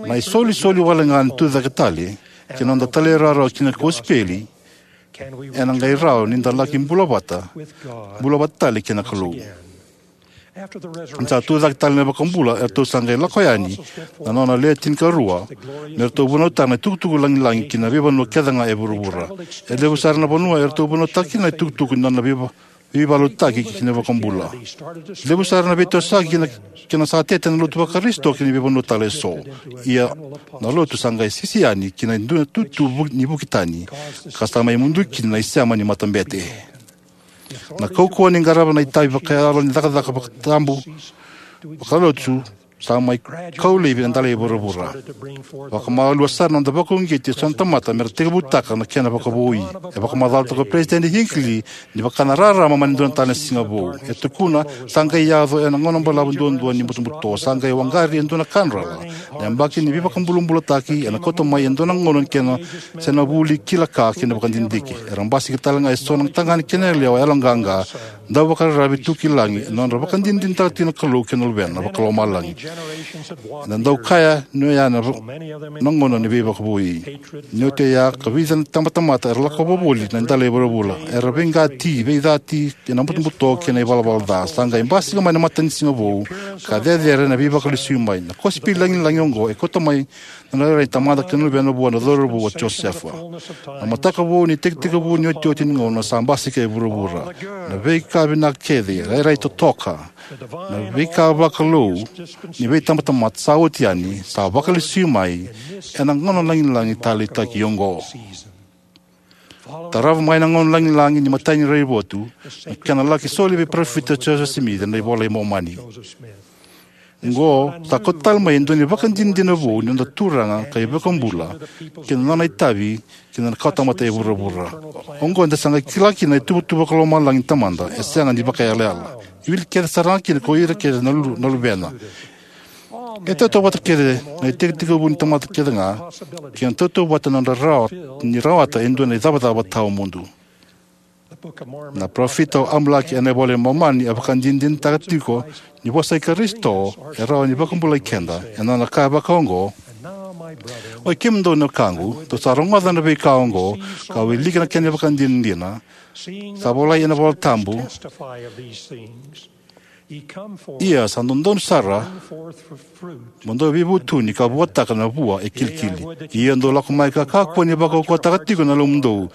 Na isolisoli wale ga ni tucake tale ki na noda talairawarawa ki na kosipeli, ena qai rawa ni da laki bula vata, bula vata tale kei na Kalou. Ni sa tucake tale na iVakabula, eratou sa qai lako yani na nona lewe tinikarua me ratou vunautaka na itukutuku lagilagi ki na veivanua kece ga e vuravura. E levu sara na vanua eratou vunautaka kina na itukutuku ni nona veiva-, veivakalotutaki ki na iVakabula. Levu sara na veitosoyaki ki na, ki na sa tete na lotu vaKarisito ki na veivanua tale eso. Ia na lotu sa qai sisi yani ki na dua na itutu vu-, ni vuki tani, ka sa mai mudu kina na isema ni matabete. Na kaukauwa ni qarava na itavi vakayalo ni cakacaka vakatabu vakalotu Sa mai kau laivi na dala i vuravura. Vakamalua sara na noda vakauqeti e so na tamata me ra tekivutaka na kena vakavoui. E vakamacalataka o Peresitedi Hinckley ni vaka na rarama mai na dua tale na siga vou. E tukuna, sa qai yaco ena gauna balavu duadua ni butobuto, sa qai waqari e dua na kadreva. Na yabaki ni veivakabulabulataki ena kauta mai e dua na gauna ni kena se na vuli kila ka kei na vakadidike. Era basika tale ga e so na tagane kei na yalewa yaloqaqa, dau vakararavi tu ki lagi, ena nodra vakadinadinataka tiko na Kalou kei na Luvena Vakalomalagi. Ena dau kaya ni oya na, na gauna ni veivakavoui. Ni oti oya, ka vica na tabatamata era lako voli na dala i vuravura. Era veiqati, veicati, ena butobuto kei na ivalavala ca. Sa qai basika mai na matanisiga vou, ka cecere na veivakalesui mai. Na kosipeli lagilagi oqo e kauta mai na rairai ni Tamada kei na Luvena vua na cauravou o Josefa. Na mataka vou ni tekitekivu ni otioti ni gauna sa basika e vuravura. Na veika vinaka kece, rairai totoka, na veika vakalou ni veitabatamata sa oti yani, sa vakalesui mai ena gauna lagilagi taleitaki oqo. Tarava mai na gauna lagilagi ni imatai ni raivotu, na kena laki soli vei Parofita Josefa Simici na iVola i Momani. Oqo sa kauta tale mai e dua na ivakadinadina vou ni noda Turaga ka iVakabula kei na nona itavi ki na kawatamata e vuravura. Oqo eda sa qai kila kina na ituvatuva vakalomalagi ni Tamada e sega ni vakaiyalayala. E wili kece sara ga kina ko ira kece na lu-, na luvena. E tautauvata kece na itekitekivu ni tamata kece ga, kei na tautauvata na nodra rawa-, ni rawata e dua na icavacava tawamudu. Na parofita o Amaleki ena iVola i Momani e vakadinadinataka tiko ni vosa i Karisito e rawa ni vakabulai keda, ena nona kaya vakaoqo: Oi kemudou na wekaqu, dou sa rogoca na veika oqo, ka wilika na kena ivakadinadina, sa volai ena iVola Tabu. Ia sa dodonu sara mo dou veivutuni ka vuataka na vua e kilikili. Ia dou lako mai ka kakua ni vakaukauwataka tiko na yalomudou.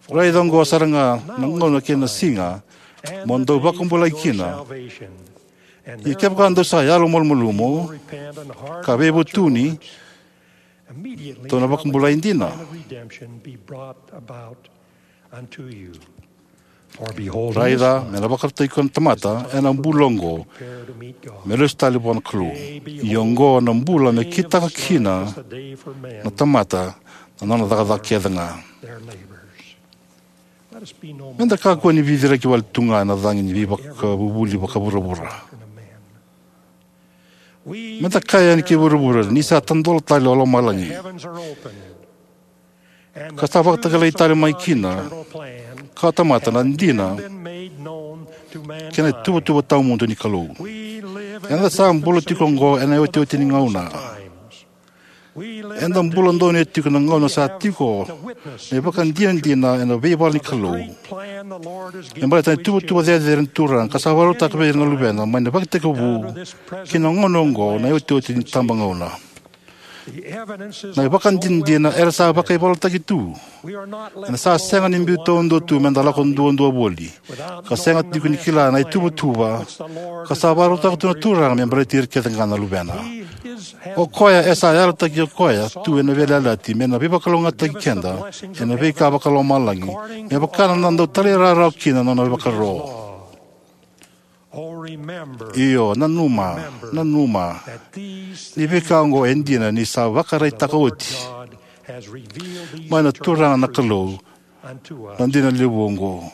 Raica oqo sara ga na gauna kei na siga mo dou vakabulai kina. Ia kevaka dou sa yalomalumalumu ka veivutuni, dou na vakabulai dina. Raica, me na vakarautaki koya na tamata ena bula oqo me lesu tale vua na Kalou. Ia oqo na bula me kitaka kina na tamata na nona cakacaka kece ga. Me da kakua ni viviraki wale tu ga ena cagi ni veivakavuvuli vakavuravura. Me da kaya yani ki vuravura ni sa tadola tale o lomalagi, ka sa vakatakilai tale mai kina ka tamata na dina kei na ituvatuva tawamudu ni Kalou. Eda sa bula tiko oqo ena iotioti ni gauna. Eda bula donuya tiko na gauna sa tiko na ivakadinadina ena veivala ni Kalou me baleta na ituvatuva cecere ni Turaga ka sa vakarautaka vei ira na luvena mai na ivakatekivu ki na gauna oqo, na iotioti ni tabagauna. Na ivakadinadina era sa vakaivolataki tu. Eda sa sega ni biu taudua tu me da lako duadua voli, ka sega tiko ni kila na ituvatuva ka sa vakarautaka tu na Turaga me baleti ira kece ga na luvena. O koya e sa yalataki o koya tu ena veiyalayalati me na veivakalougatataki keda ena veika vakalomalagi, me vaka na dau talairawarawa kina na nona ivakaro. Io, nanuma, nanuma ni veika oqo e dina, ni sa vakaraitaka oti mai na Turaga na Kalou na dina levu oqo.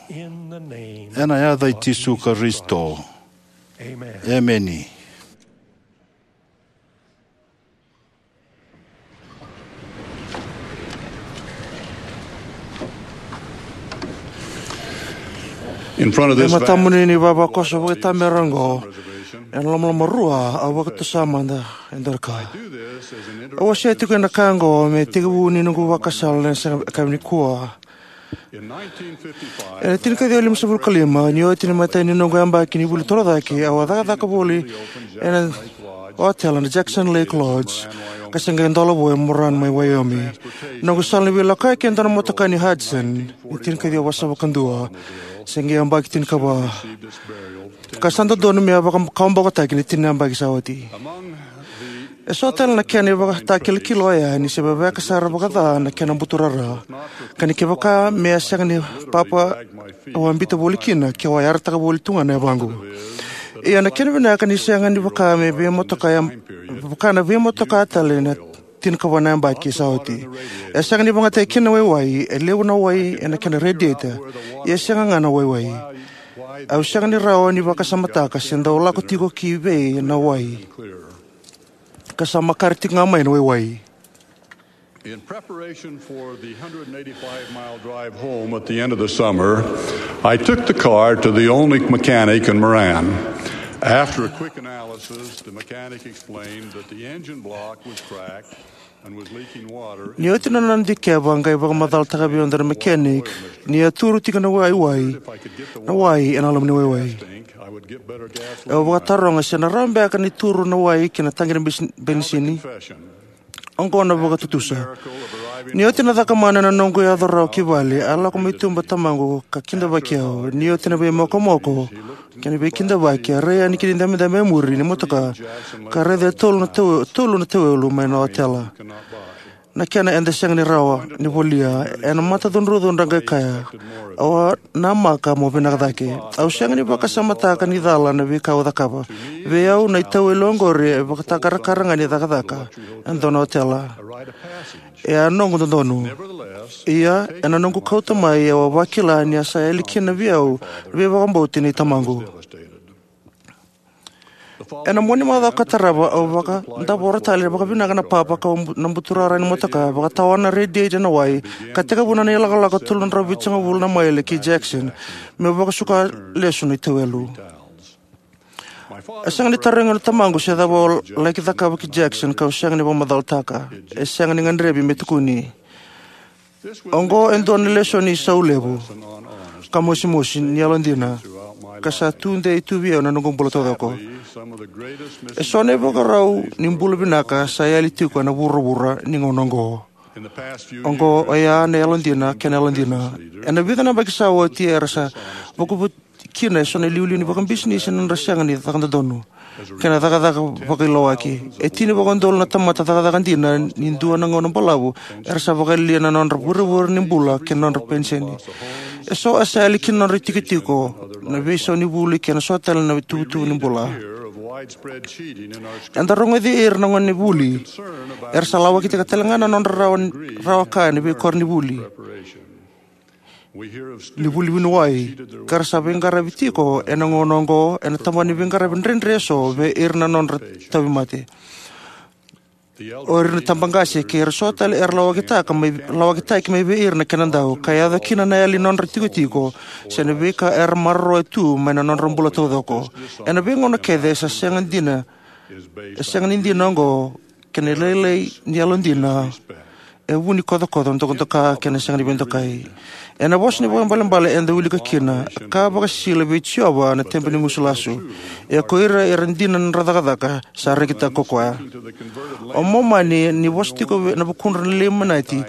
Ena yaca i Jisu Karisito. Emeni. In front of E this vast matamuni ni vavakoso vakaitamera oqo, ena lomaloma rua, au vakatusa mada e dua na ka. Au wasea tiko na ka oqo me tekivu ni noqu vakasala ena siga nikua. Ena tinikaciwa limasagavulu ka lima, ni oti na imatai ni noqu yabaki ni vuli torocake, au a cakacaka voli ena otela na Jackson Lake Lodge, ka se qai dola vua e Moran mai Wyoming. Noqu sala ni veilakoyaki e dua na motoka ni Hudson, ni tinikaciwa vasagavulu ka dua, se qai yabaki tinikava. Ka sa dodonu me a vakakawabokotaki ni tini na yabaki sa oti. E so tale na kena ivakatakilakila oya ni se veveka sara vakaca na kena buturara, ka ni kevaka me a sega ni papa, au a biuta voli kina, ke au a yarataka voli tu ga na yavaqu. Ia na kena vinaka ni sega ni vaka me veimotoka ya, vaka na veimotoka tale na tinikava na yabaki sa oti. E sega ni vakayagataki kina na waiwai, e levu na wai ena kena radiator, ia e sega ga na waiwai. Au sega ni rawa ni vakasamataka se dau lako tiko ki vei na wai, ka sa makare tiko ga mai na waiwai. In preparation for the hundred and eighty-five mile drive home at the end of the summer, I took the car to the only mechanic in Moran. After a quick analysis, the mechanic explained that the engine block was cracked and was leaking water. Ni oti na nona dikeva, a qai vakamacalataka vei au na mechanic ni a turu tiko na waiwai, na wai ena loma ni waiwai. Au vakataroga se na rawa beka ni turu na wai ki na taqi ni bes-, benisini. Oqo na vakatutusa. Ni oti na cakamana na noqu yaco rawa ki vale, a lako mai tuba tamaqu ka kidavaki au. Ni oti na veimokomoko kei na veikidavaki, a rai yani ki na idabedabe e muri ni motoka, ka raica e tolu na tau-, tolu na tauelu mai na otela. Na kena eda sega ni rawa ni volia. Ena matacudrucudru a qai kaya, "Au a namaka mo vinaka cake." Au sega ni vakasamataka ni cala na veika au cakava. Vei au na itauelu oqori e vakatakarakara ga ni cakacaka e dua na otela. E a noqu dodonu. Ia, ena noqu kauta mai, au a vakila ni a sa yali kina vei au na veivakabauti nei tamaqu. Ena mua ni macawa ka tarava, au vakadavora tale vakavinaka na papa ka bu-, na buturara ni motoka, vakatawana na radiator na wai, ka tekivu na ilakolako tolu na drau vitusagavulu na maile ki Jackson, meu vakasuka lesu na itauelu. E sega ni tarogi au na tamaqu se cava au laki cakava ki Jackson, kau sega ni vakamacalataka. E sega ni gadrevi me tukuni. Oqo e dua na lesoni isau levu ka mosimosi ni yalodina, ka sa tudei tu vei au na noqu bula taucoko. Eso na ivakarau ni bula vinaka sa yali tiko ena vuravura ni gauna oqo. Oqo oya na yalodina kei na yalodina. Ena vica na yabaki sa oti era sa vakuvu kina eso na iliuliu ni vakabisinisi ena nodra sega ni caka dodonu kei na cakacaka vakailawaki. E tini vakaudolu na tamata cakacaka dina ni dua na gauna balavu era sa vakalialia na nodra vurevure ni bula kei na nodra peniseni. Eso e sa yali kina na nodra itikotiko, na veisau ni vuli kei na so tale na ituvatuva ni bula. Eda rogoci ira na gone ni vuli era sa lawakitaka tale ga na nodra rawa, rawa ka ena veikoronivuli ni vuli vuniwai, ka ra sa veiqaravi tiko ena gauna oqo ena tabana ni veiqaravi dredre eso vei ira na nodra tauvimate. O ira na tabaqase kei ira so tale era lawakitaka mai, lawakitaki mai vei ira na kenadau, ka yaco kina na yali ni nodra tikotiko se na veika era maroroya tu mai na nodra bula taucoko. Ena veigauna kece e sa sega dina, e sega ni dina oqo, kei na lailai ni yalodina e vu ni kocokoco, dokadoka kei na sega ni veidokai. Ena vosa ni vakaibalebale eda wilika kina, a ka vakasisila vei Jiova na tebe ni gusu lasu, ia ko ira era dina na nodra cakacaka sa rekitaka ko koya. O Momani, ni vosa tiko ena vukudra na Leimaniti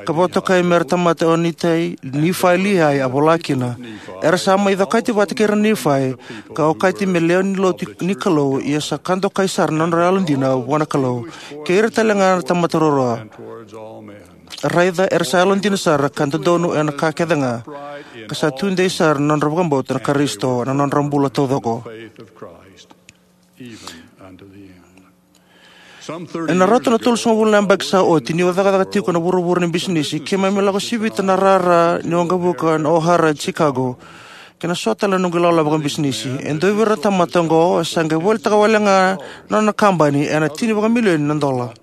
ka vakatokai me ra tamata o Nitai, Nifai, Liai, a vola kina: Era sa mai cokati vata kei ira na Nifai, ka okati me lewe ni lotu ni Kalou, ia sa ka dokai sara na nodra yalodina vua na Kalou kei ira tale ga na tamata ruarua. Raica, era sa yalodina sara ka dodonu ena ka kece ga, ka sa tudei sara na nodra vakabauta na Karisito ena nodra bula taucoko. Ena rauta na tolusagavulu na yabaki sa oti, niu a cakacaka tiko na vuravura ni bisinisi, keimami lako sivita na rara ni waqavuka na O'Hare e Chicago, kei na so tale na noqu ilawalawa vakabisinisi. E dua vei ira na tamata oqo e sa qai volitaka wale ga na nona kabani ena tini vakamilioni na dola.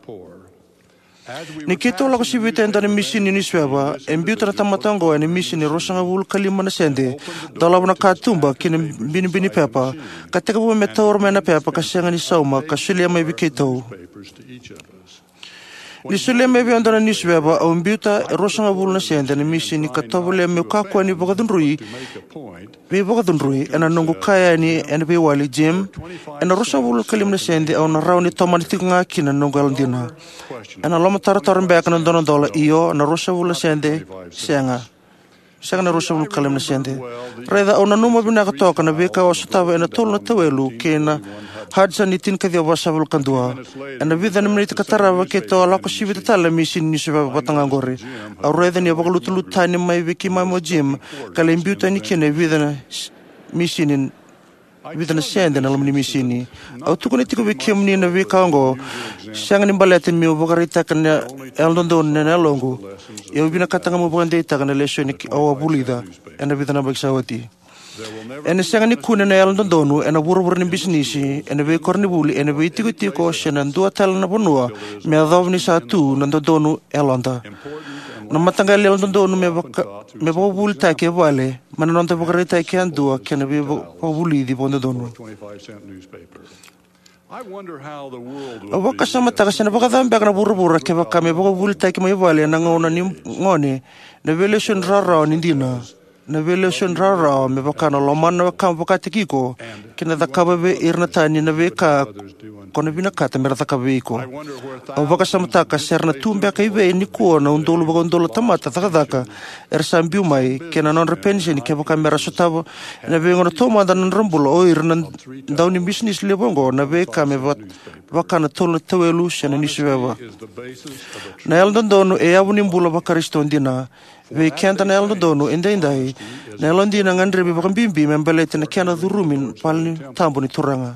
Ni keitou lako sivita e dua na misini ni niusiveva, e biuta na tamata oqo ena misini ruasagavulu ka lima na sede, dolava na katuba ki na binibini pepa, ka tekivu me taura mai na pepa ka sega ni sauma, ka solia mai vei keitou. Ni solia mai vei au e dua na niusiveva, au biuta e ruasagavulu na sede na misini ka tovolea meu kakua ni vakacudrui, veivakacudrui ena noqu kaya yani ena veiwali, "Jim, ena ruasagavulu ka lima na sede au na rawa ni tomana tiko ga kina na noqu yalodina." Ena lomatarotaro beka na dua na dola, io, na ruasagavulu na sede, sega. Sega na ruasagavulu ka lima na sede. Raica, au nanuma vinaka toka na veika au a sotava ena tolu na tauelu kei na Hudson ni tinikaciwa vasagavulu ka dua. Ena vica na miniti ka tarava keitou a lako sivita tale na misini ni niusiveva vata ga oqori. Au raica ni a vakalutulutu tani mai vei keimami o Jim, ka lai biu tani kina e vica na s-, misini. vica na sede na loma ni misini. Au tukuna tiko vei kemuni na veika oqo, sega ni baleta meu vakaraitaka na yalododonu ena yaloqu. Ia au vinakata ga meu vakadeitaka na lesoni au a vulica ena vica na yabaki sa oti. Ena sega ni kune na yalododonu ena vuravura ni bisinisi, ena veikoronivuli, ena veitikotiko, se na dua tale na vanua me yacova ni sa tu na dodonu e yaloda. Na mataqali yalododonu me vaka-, me vakavuvulitaki e vale, mai na noda vakaraitaki yadua kei na veivakavulici vakadodonu. Au vakasamataka se na vakacava beka na vuravura kevaka me vakavuvulitaki mai vale ena gauna ni gone na veilesoni rawarawa ni dina, na veilesoni rawarawa me vaka na lomana na wekamu vakataki iko kei na cakava vei ira na tani na veika ko na vinakata me ra cakava vei iko. Au vakasamataka se ra na tu beka i vei nikua na udolu vakaudolu na tamata cakacaka era sa biu mai kei na nodra peniseni kevaka me ra sotava ena veigauna taumada na nodra bula o ira na daunibisinisi levu oqo na veika me va-, vaka na tolu na tauelu se na niusiveva. Na yalododonu e yavu ni bula vaKarisito dina. Vei keda na yalododonu edaidai, na yalodina e gadrevi vakabibi me baleti na kena curumi na valetabu ni Turaga.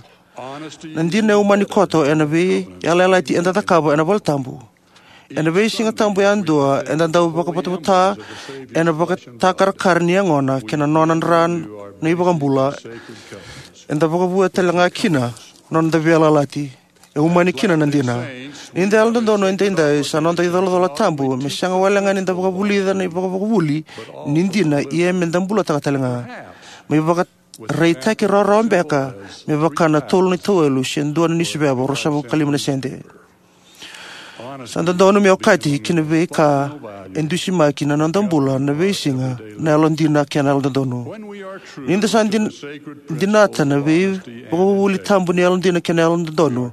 Na dina e umani koto ena veiyalayalati eda cakava ena valetabu. Ena veisiga tabu yadua eda dau vakavotavota ena vakatakarakara ni yagona kei na nona dra na iVakabula. Eda vakavouya tale ga kina na noda veiyalayalati. E umani kina na dina. Ni da yalododonu edaidai sa noda icolacola tabu me sega wale ga ni da vakavulica na ivakavakavuli ni dina, ia me da bulataka tale ga. Me ivaka raitaki rawarawa beka me vaka na tolu na tauelu se dua na niusiveva, ruasagavulu ka lima na sede. Sa dodonu me okati ki na veika e dusimaki na noda bula na veisiga na yalodina kei na yalododonu. Ni da sa din-, dinata na veivakavuvuli tabu ni yalodina kei na yalododonu,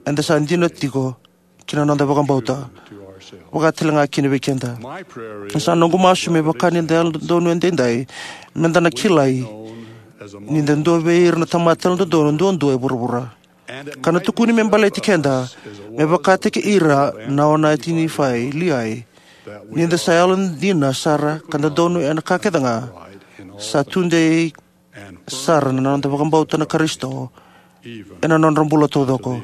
eda sa dina tiko ki na noda vakabauta, vaka tale ga kina vei keda. Sa noqu masu me vaka ni da yalododonu edaidai, me da na kilai ni da dua vei ira na tamata yalododonu duadua e vuravura. Ka na tukuni me baleti keda, me vakataki ira na onati Nifai, Liai, ni da sa yalodina sara ka dodonu ena ka kece ga, sa tudei sara na noda vakabauta na Karisito ena nodra bula taucoko.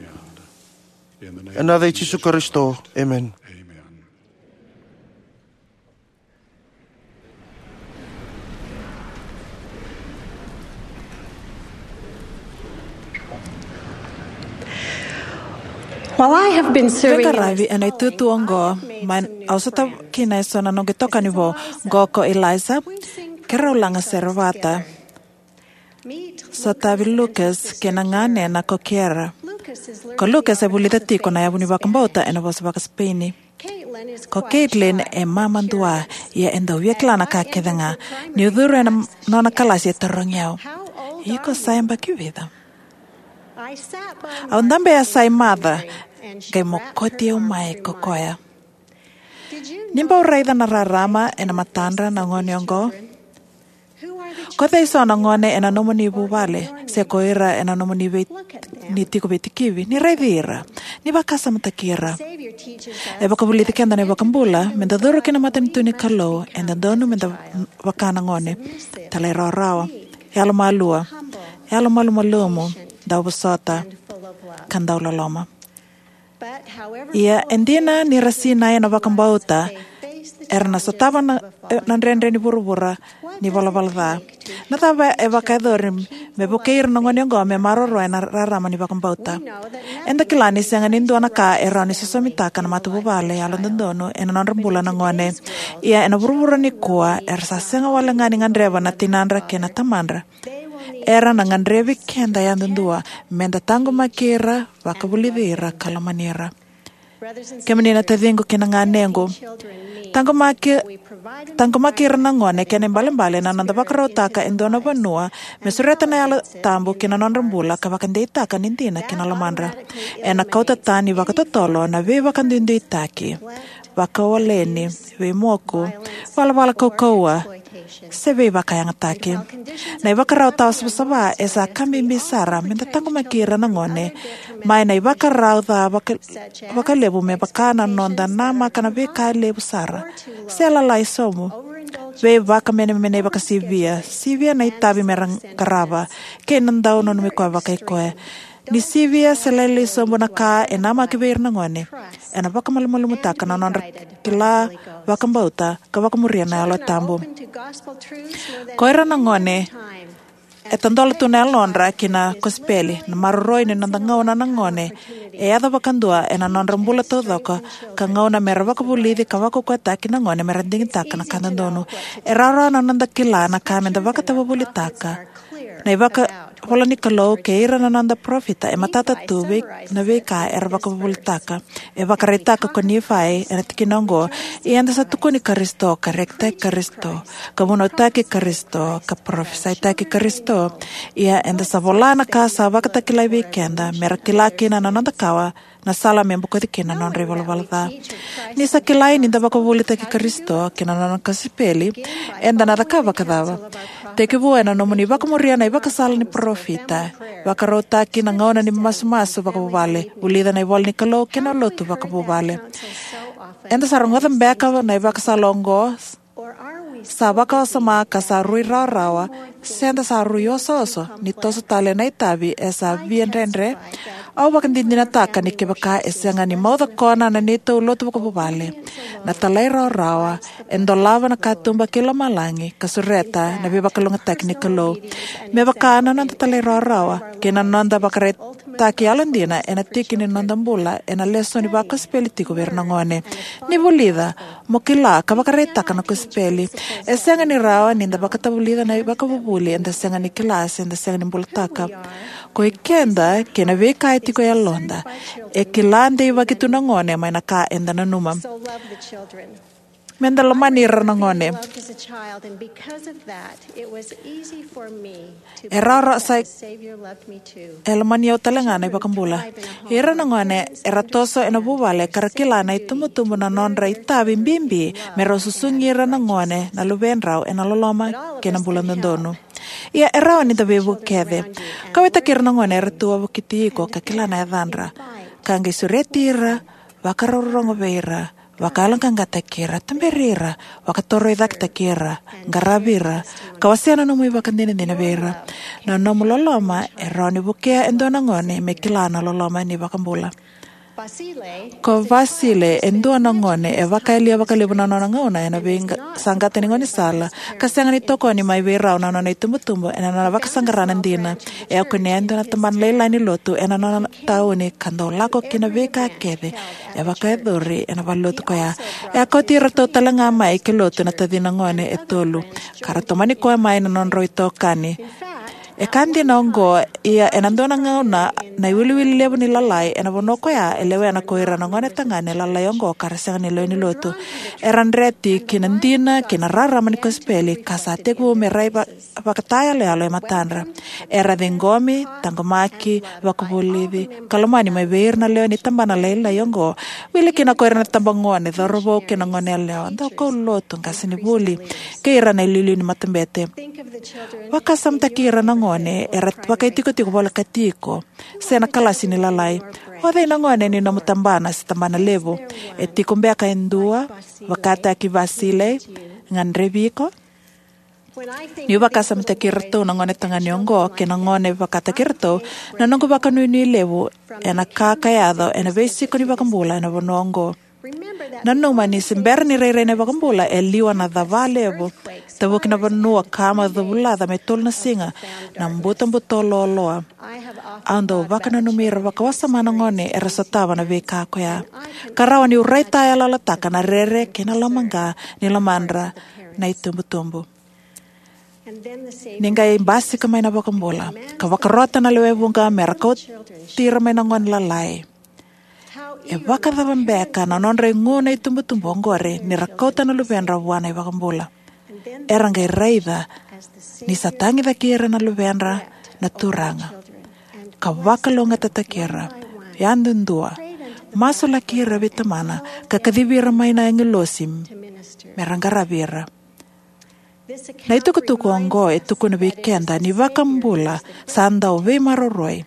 Ena yaca i Jisu Karisito, emeni. Well, I have been serving in this calling. Veiqaravi ena itutu oqo, mai au sota kina eso na noqu itokani vou, qo ko Eliza, keirau laga sere vata. Sotavi Lucas kei na ganena ko Kiera. Ko Lucas e vulica tiko na yavu ni vakabauta ena vosa vakaSipeini. Ko Caitlin e mama dua, ia e dau via kila na ka kece ga. Niu curu ena nona kalasi e tarogi au, "Iko sa yabaki vica?" Au dabe e yasa i maca, qai mokoti au mai ko koya. Ni bau raica na rarama ena matadra na gone oqo? Ko cei so na gone ena nomuni vuvale, se ko ira ena nomuni vei-, ni tiko veitikivi? Ni raici ira. Ni vakasamataki ira. E vakavulici keda na iVakabula, me da curu ki na matanitu ni Kalou, e dodonu me da vaka na gone. Talairawarawa. Yalomalua. Yalomalumalumu. Dauvosota. Ka dauloloma. Ia, e dina ni ra sinai ena vakabauta, era na sotava na, na dredre ni vuravura ni valavala ca. Na cava e vakayacori me vukei ira na gone oqo me maroroya na rarama ni vakabauta? Eda kila ni sega ni dua na ka e rawa ni sosomitaka na matavuvale yalododonu ena nodra bula na gone. Ia, ena vuravura nikua, era sa sega wale ga ni gadreva na tinadra kei na tamadra. Era na gadrevi keda yadudua me da taqomaki ira, vakavulici ira, ka lomani ira. Kemuni na taciqu kei na ganequ, taqomaki, taqomaki ira na gone, kena ibalebale na noda vakarautaka e dua na vanua me sureta na Yalo Tabu ki na nodra bula ka vakadeitaka ni dina ki na lomadra. Ena kauta tani vakatotolo na veivakaduiduitaki, vakawaleni, veimoku, valavala kaukauwa, se veivakayagataki. Na ivakarau tawa savasava e sa ka bibi sara me da taqomaki ira na gone mai na ivakarau ca vaka-, vakalevu, me vaka na noda namaka na veika e levu sara se lalai sobu. veivakamenemenei vakasivia, sivia na itavi me ra qarava, kei na dau nanumi koya vakaikoya. Ni sivia se lailai sobu na ka e namaki vei ira na gone, ena vakamalumalumutaka na nodra kila, vakabauta, ka vakamuria na Yalo Tabu. Ko ira na gone, e tadola tu na yalodra ki na kosipeli. Na maroroi ni noda gauna na gone e yaco vakadua ena nodra bula taucoko, ka gauna me ra vakavulici ka vakaukauwataki na gone me ra digitaka na ka dodonu. E rawarawa na noda kila na ka me da vakatavuvulitaka. Na ivakavola ni Kalou kei ira na noda parofita e matata tu vei na veika era vakavuvulitaka. E vakaraitaka ko Nifai ena tikina oqo: Ia eda sa tukuni Karisito, ka rekitaki Karisito, ka vunautaki Karisito, ka parofisaitaki Karisito. Ia eda sa vola na ka sa vakatakilai vei keda, me ra kila kina na noda kawa, na sala me bokoci kina na nodra ivalavala ca. Ni sa kilai ni da vakavuvulitaki Karisito kei na nona kosipeli, eda na cakava vakacava? Tekivu ena nomuni vakamuria na ivakasala ni parofita, vakarautaki na gauna ni masumasu vakavuvale, vulica na ivola ni Kalou kei na lotu vakavuvale. Eda sa rogoca beka na ivakasala oqo, sa vakawasoma ka sa rui rawarawa, se da sa rui osooso ni toso tale na itavi e sa via dredre? Au vakadinadinataka ni kevaka e sega ni maucakona na neitou lotu vakavuvale, na talairawarawa e dolava na katuba kei lomalagi ka sureta na veivakalougatataki ni Kalou. Me vaka na noda talairawarawa kei na noda vakaraitaki yalodina ena tiki ni noda bula ena lesoni vakosipeli tiko vei ira na gone. Ni vulica, mo kila ka vakaraitaka na kosipeli. E sega ni rawa ni da vakatavulica na ivakavuvuli eda sega ni kila se da sega ni bulataka. Ko i keda kei na veika e tiko e yaloda, e kila deivaki tu na gone mai na ka eda nanuma. Me da lomani ira na gone. E rawarawa sa e lomani au tale ga na iVakabula. Ira na gone era toso ena vuvale ka ra kila na itubutubu na nodra itavi bibi me rau susugi ira na gone na luvedrau ena loloma kei na bula dodonu. Ia e rawa ni da veivuke kece. Kauwaitaki ira na gone era tu wavokiti iko ka kila na yacadra. Ka qai sureti ira, vakarorogo vei ira, vakayaloqaqataki ira, tuberi ira, vakatorocaketaki ira, qaravi ira, ka wasea na nomu ivakadinadina vei ira. Na nomu loloma e rawa ni vukea e dua na gone me kila na loloma ni iVakabula. Ko Vasile e dua na gone e vakayalia vakalevu na nona gauna ena veisaqata ni gaunisala, ka sega ni tokoni mai vei rau na nona itubutubu ena nona vakasaqara na dina. E a kunea e dua na tabana lailai ni lotu ena nona tauni ka dau lako ki na veika kece e vakayacori ena valenilotu ko ya. E a kauti iratou tale ga mai ki lotu na tacina gone e tolu, ka ra tomani koya mai na nodrau itokani. E ka dina oqo, ia ena dua na gauna na iwiliwili levu ni lalai ena vanua ko ya e lewena ko ira na gone tagane lalai oqo ka ra sega ni lewe ni lotu. Era dreti ki na dina kei na rarama ni kosipeli ka sa tekivu me rai va- vakatayaloyalo e matadra. Era ciqomi, taqomaki, vakavulici, ka lomani mai vei ira na lewe ni tabana lailai oqo. Wili kina ko ira na itabagone, cauravou kei na goneyalewa, daukaulotu, qasenivuli, kei ira na iliuliu ni matabete. Vakasamataki ira na gone era vakaitikotiko volekati iko se na kalasi ni lalai. O cei na gone ni nomu tabana se tabana levu? E tiko beka e dua vakataki Vasile gadrevi iko? Niu vakasamataki iratou na gone tagane oqo kei na gone vakataki iratou, na noqu vakanuinui levu ena ka ka yaco ena veisiko ni iVakabula ena vanua oqo. Nanuma ni se bera ni rairai na iVakabula, e liwa na cava levu, tavuki na vanua, kama, covulaca me tolu na siga, na butobuto loaloa. Au dau vakananumi ira vakawasoma na gone era sotava na veika ko ya. Ka rawa niu raitayaloyalotaka na rere kei na lomaqa ni lomadra na itubutubu. Ni qai basika mai na iVakabula ka vakarota na lewe vuqa me ra kauti ira mai na gone lalai. E vakacava beka na nodra igu na itubutubu oqori ni ra kauta na luvedra vua na iVakabula? Era qai raica ni sa tagicaki ira na luvedra na Turaga, ka vakalougatataki ira yadudua, masulaki ira vei Tamana, ka kacivi ira mai na agilosi me ra qaravi ira. Na itukutuku oqo e tukuna vei keda ni iVakabula sa dau veimaroroi,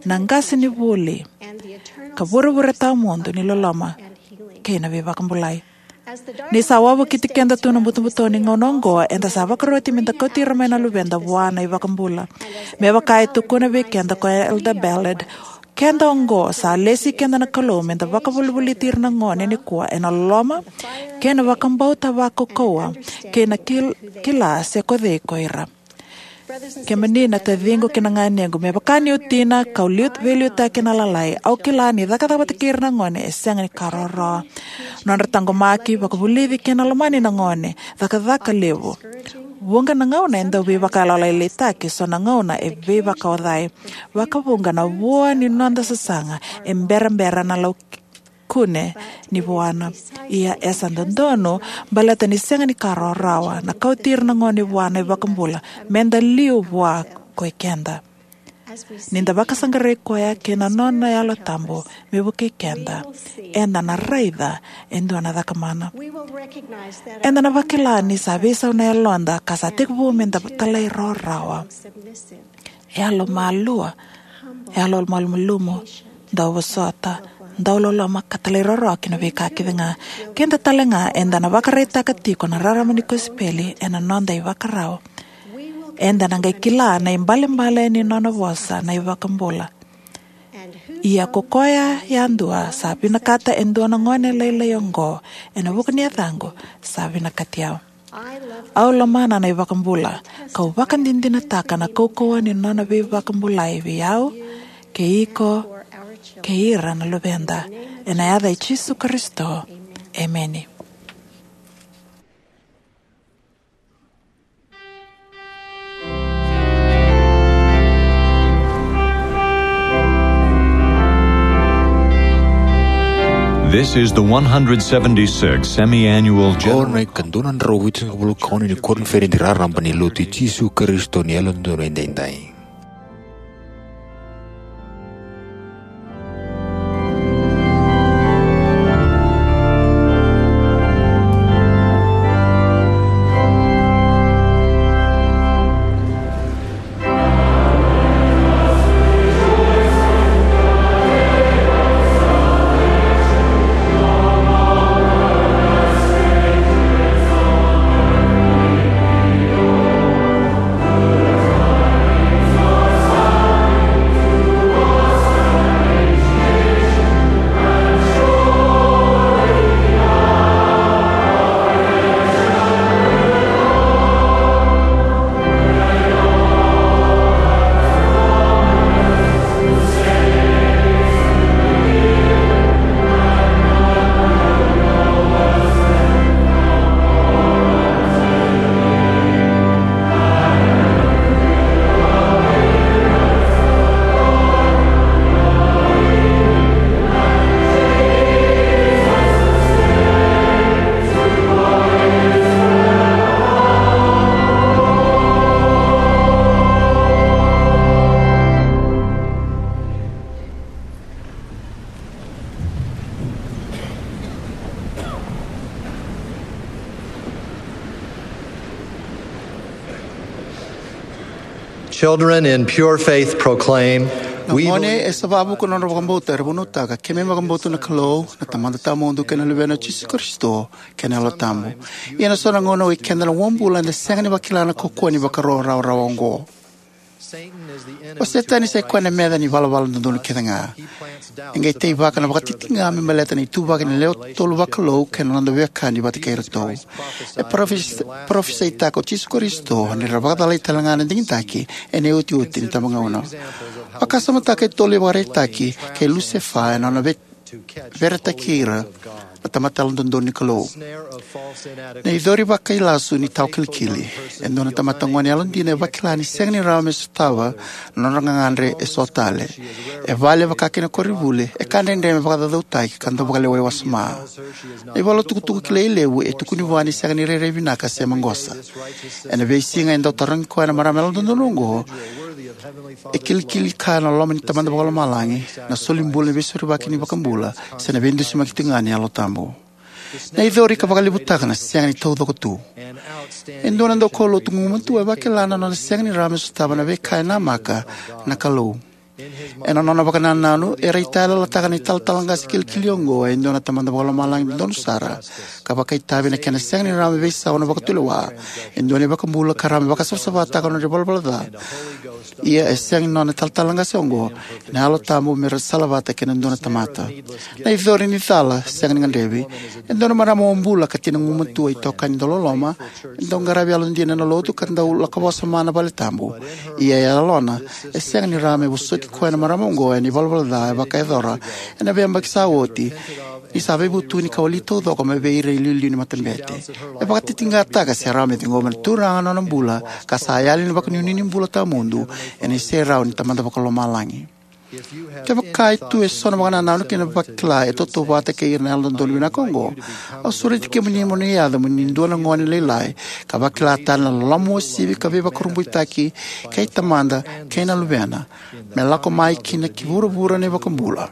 na qasenivuli, ka vurevure tawamudu ni loloma kei na veivakabulai. Ni sa wavokiti keda tu na butobuto ni gauna oqo, eda sa vakaroti meda kauti ira mai na luveda vua na iVakabula. Me vaka e tukuna vei keda ko Elder Ballard, keda oqo sa lesi keda na Kalou meda vakavolivoliti ira na gone nikua ena loloma kei na vakabauta vakaukauwa kei na kil-, kila se ko cei ko ira. Kemuni na taciqu kei na ganequ, me vaka niu tina kau liu-, veiliutaki ena lalai, au kila ni cakacaka vata kei ira na gone e sega ni ka rawarawa. Nodra taqomaki, vakavulici kei na lomani na gone, cakacaka levu. Vuqa na gauna e dau veivakayalolailaitaki, so na gauna e veivakaocai. Vakavuqa na vua ni noda sasaga e berabera na lau kune ni vuana. Ia e sa dodonu, baleta ni sega ni ka rawarawa, na kauti ira na gone vua na iVakabula, meda liu vua ko i keda. Ni da vakasaqarai koya kei na nona Yalo Tabu me vukei keda, eda na raica e dua na cakamana. Eda na vakila ni sa veisau na yaloda ka sa tekivu meda talairawarawa, yalomalua, yalomalumalumu, dauvosota, dauloloma ka talairawarawa ki na veika kece ga. Keda tale ga eda na vakaraitaka tiko na rarama ni kosipeli ena noda ivakarau. Eda na qai kila na ibalebale ni nona vosa na iVakabula. Ia ko koya yadua sa vinakata e dua na gone lailai oqo ena vuku ni yacaqu, sa vinakati au. Au lomana na iVakabula, kau vakadinadinataka na kaukauwa ni nona veivakabulai vei au, kei iko, kei ira na luveda. Ena yaca i Jisu Karisito. Emeni. This is the one hundred seventy-six semi-annual Qo general na ikadua na drau vitusagavulu ka ono ni koniferedi raraba ni Lotu i Jisu Karisito ni Yalododonu Edaidai. Children in pure faith proclaim, na gone e sa vavuku na nodra vakabauta era vunautaka, keimami vakabauta na Kalou, na Tamada Tawamudu kei na Luvena o Jisu Karisito, kei na Yalo Tabu. Ia ena so na gauna oi keda na uabula eda sega ni vakila na kaukauwa ni vakarawarawa oqo. O Setani sai koya na meca ni valavala dodonu kece ga. E qai teivaka na vakatitiqa me baleta na ituvaki ni lewe tolu vakalou kei na noda veiwekani vata kei iratou. E parofis-, parofisaitaka o Jisu Karisito ni ra vakacalai tale ga na digitaki ena iotioti ni tabagauna. Vakasamataka e tolu na ivakaraitaki kei Lusefa ena nona vei veretaki ira na tamata yalododonu ni Kalou. Na icori vakailasu ni tawa kilikili. E dua na tamata gone yalodina e vakila ni sega ni rawa me sotava na nodra gagadre eso tale. E vale vaka kina koronivuli, e ka dredre me vakacaucautaki ka dau vakalewai wasoma. Na ivola tukutuku kilai levu e tukuni vua ni sega ni rairai vinaka se maqosa. Ena veisiga e dau tarogi koya na marama yalododonu oqo, e kilikili kaya na loma ni Tamada Vakalomalagi, na solibula ni veisorovaki ni iVakabula, se na veidusimaki tiko ga ni Yalo Tabu. Na icori ka vakalevutaka na sega ni taucoko tu. E dua na daukaulotu gugumatua e vakila na nona sega ni rawa me sotava na veika e namaka na Kalou. Ena nona vakanananu, e raitayaloyalotaka na italatala qase kilikili oqo e dua na Tamada Vakalomalagi dodonu sara, ka vakaitavi na kena sega ni rawa me veisau na vakatulewa, e dua na iVakabula ka rawa me vakasavasavataka na nodra ivalavala ca. Ia e sega ni nona italatala qase oqo na Yalo Tabu me ra salavata kei na dua na tamata. Na icori ni cala sega ni gadrevi. E dua na marama bobula ka tina gugumatua, itokani dauloloma, e dau qaravi yalodina ena lotu ka dau lako vakasama na valetabu. Ia e yalona, e sega ni rawa me vosoti koya na marama oqo ena ivalavala ca e vakayacora ena veiyabaki sa oti, ni sa veivutuni ka wali taucoko mai vei ira iliuliu ni matabete. E vakatitiqataka se rawa me ciqoma na Turaga na nona bula ka sa yali na vakanuinui ni bula tawamudu ena iserau ni Tamada Vakalomalagi. Kevaka e tu eso na vakanananu kei na vakila e tautauvata kei ira na Yalododonu vinaka oqo, au sureti kemuni mo ni yaco mo ni dua na gone lailai ka vakila tale na loloma uasivi ka veivakurabuitaki kei Tamada kei na Luvena, me lako mai ki na ki vuravura na iVakabula.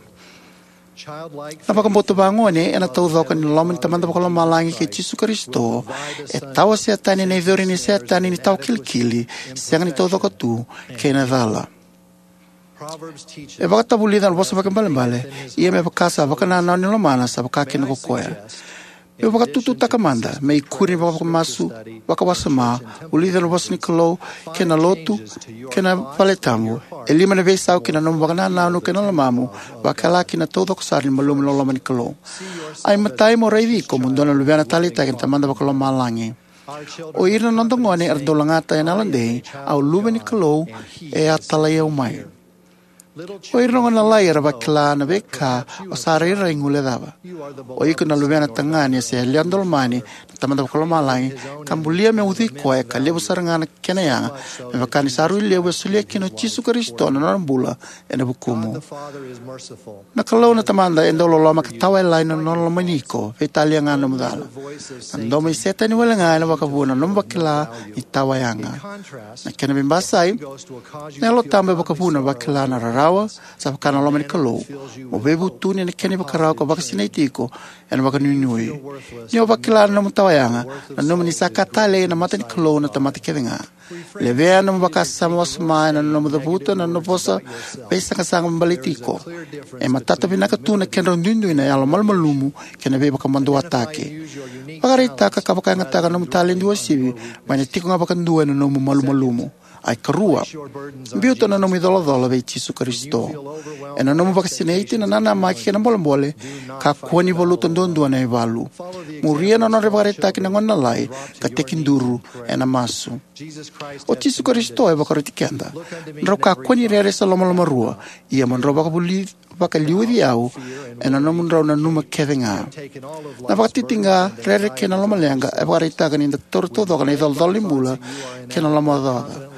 Na vakabauta vagone ena taucoko ni loloma ni Tamada Vakalomalagi kei Jisu Karisito e tawasea tani na icori ni Setani ni tawa kilikili, sega ni taucoko tu, kei na cala. E vakatavulica na vosa vakaibalebale: Ia me vaka sa vakanananu ni lomana, sa vakakina ko koya. Meu vakatututaka mada, me ikuri ni vakamasu, vakawasoma, vulica na vosa ni Kalou, kei na lotu, kei na valetabu, e lima na veisau ki na nomu vakanananu kei na lomamu, vakila kina na taucoko sara ni malumu loloma ni Kalou. Ai matai mo raici iko mo dua na luvena taleitaki ni Tamada Vakalomalagi. O ira na noda gone era dau lagata ena yalodei, au luve ni Kalou, e a talai au mai. O ira na gone lalai era vakila na veika o sa rairai guilecava. O iko na luvena tagane se yalewa daulomani na Tamada Vakalomalagi, ka bulia me ucui koya ka levu sara ga na kena yaga, me vaka ni sa rui levu e solia kina o Jisu Karisito na nona bula ena vukumu. Na Kalou na Tamada e dau loloma ka tawayalani na nona lomani iko, veitalia ga na nomu cala. Na domo i Setani wale ga ena vakavuna na nomu vakila ni tawayaga. Na kena veibasai, na Yalo Tabu e vakavuna vakila na rarawa, sa vaka na loma ni Kalou, mo veivutuni ena kena ivakarau ka vakasinaiti iko ena vakanuinui. Ni o vakila na nomu tawayaga, nanuma ni sa ka talei ena mata ni Kalou na tamata kece ga. Levea na nomu vakasama wasoma ena nomu cavuta na nona vosa veisaqasaqa me baleti iko. E matata vinaka tu na kedrau duidui na yalo malumalumu kei na veivakamaduataki. Vakaraitaka ka vakayagataka na nomu taledi uasivi mai na tiko ga vakadua ena nomu malumalumu. Ai karua, biuta na nomu icolacola vei Jisu Karisito. Ena nomu vakasinaiti, na nanamaki kei na bolebole, kakua ni valuta duadua na ivalu. Muria na nodra ivakaraitaki na gone lalai, ka tekiduru ena masu. O Jisu Karisito e vakaroti keda: Drau kakua ni rere se lomalomarua, ia mo drau vakavuli vakaliuci au ena nomudrau nanuma kece ga. Na vakatitiqa, rere kei na lomaleqa e vakaraitaka ni da taura taucoko na icolacola ni bula kei na lomaocaoca.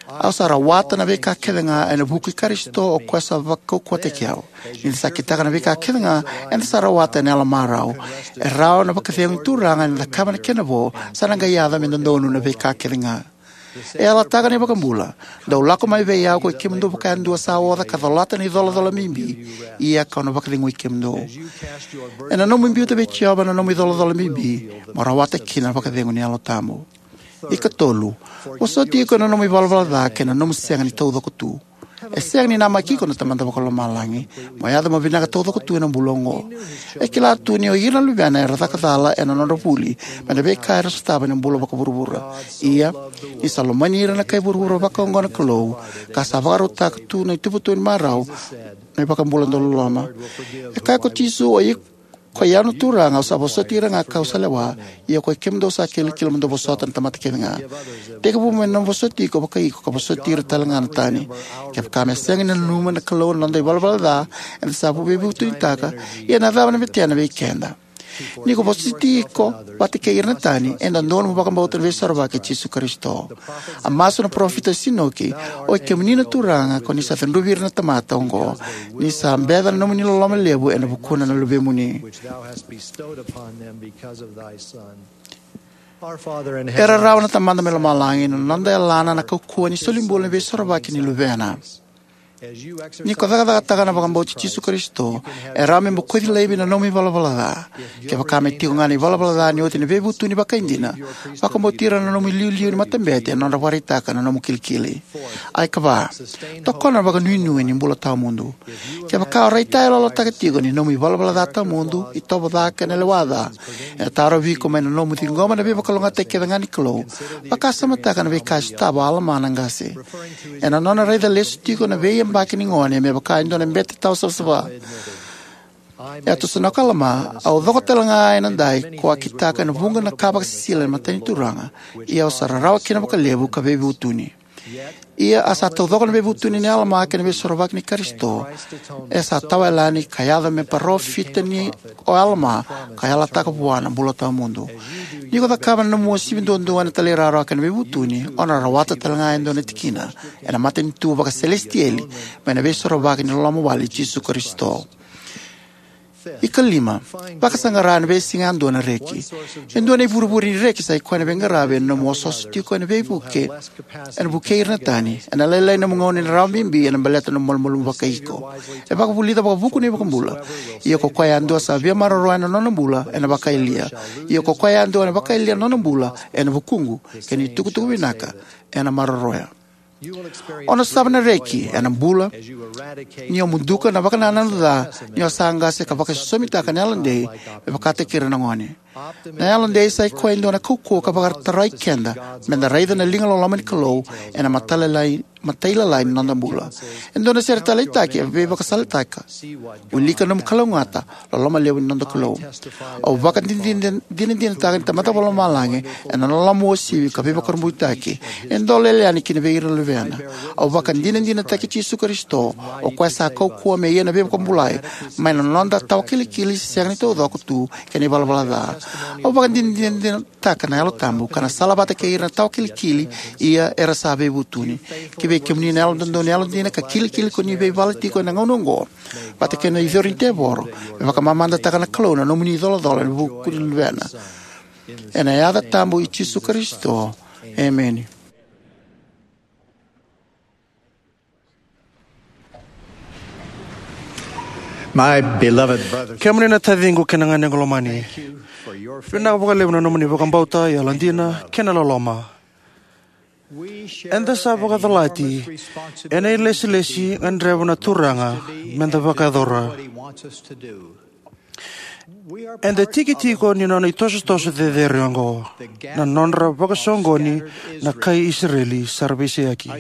Au sa rawata na veika kece ga ena vuku i Karisito, o koya sa vakaukauwataki au. Ni da sa kitaka na veika kece ga eda sa rawata ena yalomarau, e rawa na vakacegu ni Turaga ena cakava na kena vo, sa na qai yaco me dodonu na veika kece ga. E yalataka na iVakabula: Dou lako mai vei au, koi kemudou vakayadua sa oca ka colata na icolacola bibi, ia kau na vakacegui kemudou. Ena nomu biuta vei Jiova na nomu icolacola bibi, mo rawata kina na vakacegu ni Yalo Tabu. Ikatolu, vosoti iko ena nomu ivalavala ca kei na nomu sega ni taucoko tu. E sega ni namaki iko na Tamada Vakalomalagi mo yaco mo vinaka taucoko tu ena bula oqo. E kila tu ni o ira na luvena era caka cala ena nodra vuli mai na veika era sotava ena bula vakavuravura. Ia, ni sa lomani ira na kai vuravura vakaoqo na Kalou, ka sa vakarautaka tu na ituvatuva ni marau na iVakabula dau loloma. E kaya ko Jisu: O iko, koi au na Turaga, au sa vosoti ira ga kau sa lewa, ia koi kemudou sa kilikili mo dou vosota na tamata kece ga. Tekivu mai na nomu vosoti iko vakai iko, ka vosoti ira tale ga na tani. Kevaka me sega ni nanuma na Kalou na noda ivalavala ca eda sa veivutunitaka, ia na cava na betena vei keda? Ni ko vosoti iko vata kei ira na tani, e dodonu mo vakabauta na Veisorovaki i Jisu Karisito. A masu na parofita o Inoki: Oi kemuni na Turaga, ko ni sa cudruvi ira na tamata oqo, ni sa beca na nomuni loloma levu ena vukuna na luvemuni. E rarawa na Tamada mai lomalagi, na noda yalana na kaukauwa ni solibula ni Veisorovaki ni Luvena. Ni ko cakacakataka na vakabauti Jisu Karisito, e rawa me bokoci laivi na nomu ivalavala ca. Kevaka me tiko ga na ivalavala ca ni oti na veivutuni vakaidina, vakabauti ira na nomu iliuliu ni matabete ena nodra vakaraitaka na nomu kilikili. Ai ka va, tokona na vakanuinui ni bula tawamudu. Kevaka o raitayaloyalotaka tiko ni nomu ivalavala ca tawamudu, itovo ca kei na lewa ca, ena tarovi iko mai na nomu ciqoma na veivakalougatataki kece ga ni Kalou, vakasamataka na veika e sotava o Alama na qase. Ena nona raica lesu tiko na veiyabaki ni gone me vaka e dua na bete tawa savasava, e a tosonoka o Alama, au coko tale ga ena dai ko a kitaka ena vuqa na ka vakasisila ena mata ni Turaga, ia au sa rarawa kina vakalevu ka veivutuni. Ia a sa taucoko na veivutuni nei Alama kei na veisorovaki ni Karisito, e sa tawayalani ka yaco me parofita ni o Alama, ka yalataka vua na bula tawamudu. Ni ko cakava na nomu uasivi duadua ena talairawarawa kei na veivutuni, o na rawata tale ga e dua na tikina ena matanitu vakaselesitieli mai na veisorovaki ni loloma wale i Jisu Karisito. Ikalima, vakasaqara ena veisiga yadua na reki. E dua na ivurevure ni reki sa i koya na veiqaravi ena nomu osooso tiko ena veivuke, ena vukei ira na tani. Ena lailai nomu gauna ni rawa bibi ena baleta nomu malumalumu vakaiko. E vakavulica vakavuku na iVakabula. Ia ko koya yadua sa via maroroya na nona bula, ena vakayalia. Ia ko koya yadua ena vakayalia na nona bula, ena vukuqu, kei na itukutuku vinaka, ena maroroya. O na sotava na reki ena bula ni o muduka na vakanananu ca ni o sa qase ka vakaisosomitaka na yalodei me vakataki ira na gone. Na yalodei sa i koya e dua na kaukauwa ka vakatarai keda meda raica na liga loloma ni Kalou ena matailalai, matailalai ni noda bula. E dua na sere taleitaki e veivakasalataka. Wilika nomu kalougata, loloma levu ni noda Kalou. Au vakadinadinataka ni Tamada Vakalomalagi ena nona loloma uasivi ka veivakurabuitaki e dau lele yani kina vei ira na luvena. Au vakadinadinataki Jisu Karisito, o koya sa kaukauwa me ia na veivakabulai mai na noda tawa kilikili sega ni taucoko tu kei na ivalavala ca. Au vakadinadinataka na Yalo Tabu ka na salavata kei ira na tawa kilikili, ia era sa veivutuni. Ki vei kemuni na yalododonu yalodina ka kilikili ko ni veivala tiko ena gauna oqo, vata kei na icori ni tevoro, me vakamamadataka na Kalou na nomuni icolacola ena vuku ni luvena. Ena yaca tabu i Jisu Karisito. Emeni. My beloved brothers, kemuni na taciqu kei na ganequ lomani, vinaka vakalevu na nomuni vakabauta, yalodina kei na loloma. Eda sa vakacolati ena ilesilesi e gadreva na Turaga meda vakayacora. Eda tiki tiko ni nona itosotoso cecere oqo, na nodra vakasoqoni na kai Isireli sa ra veiseyaki.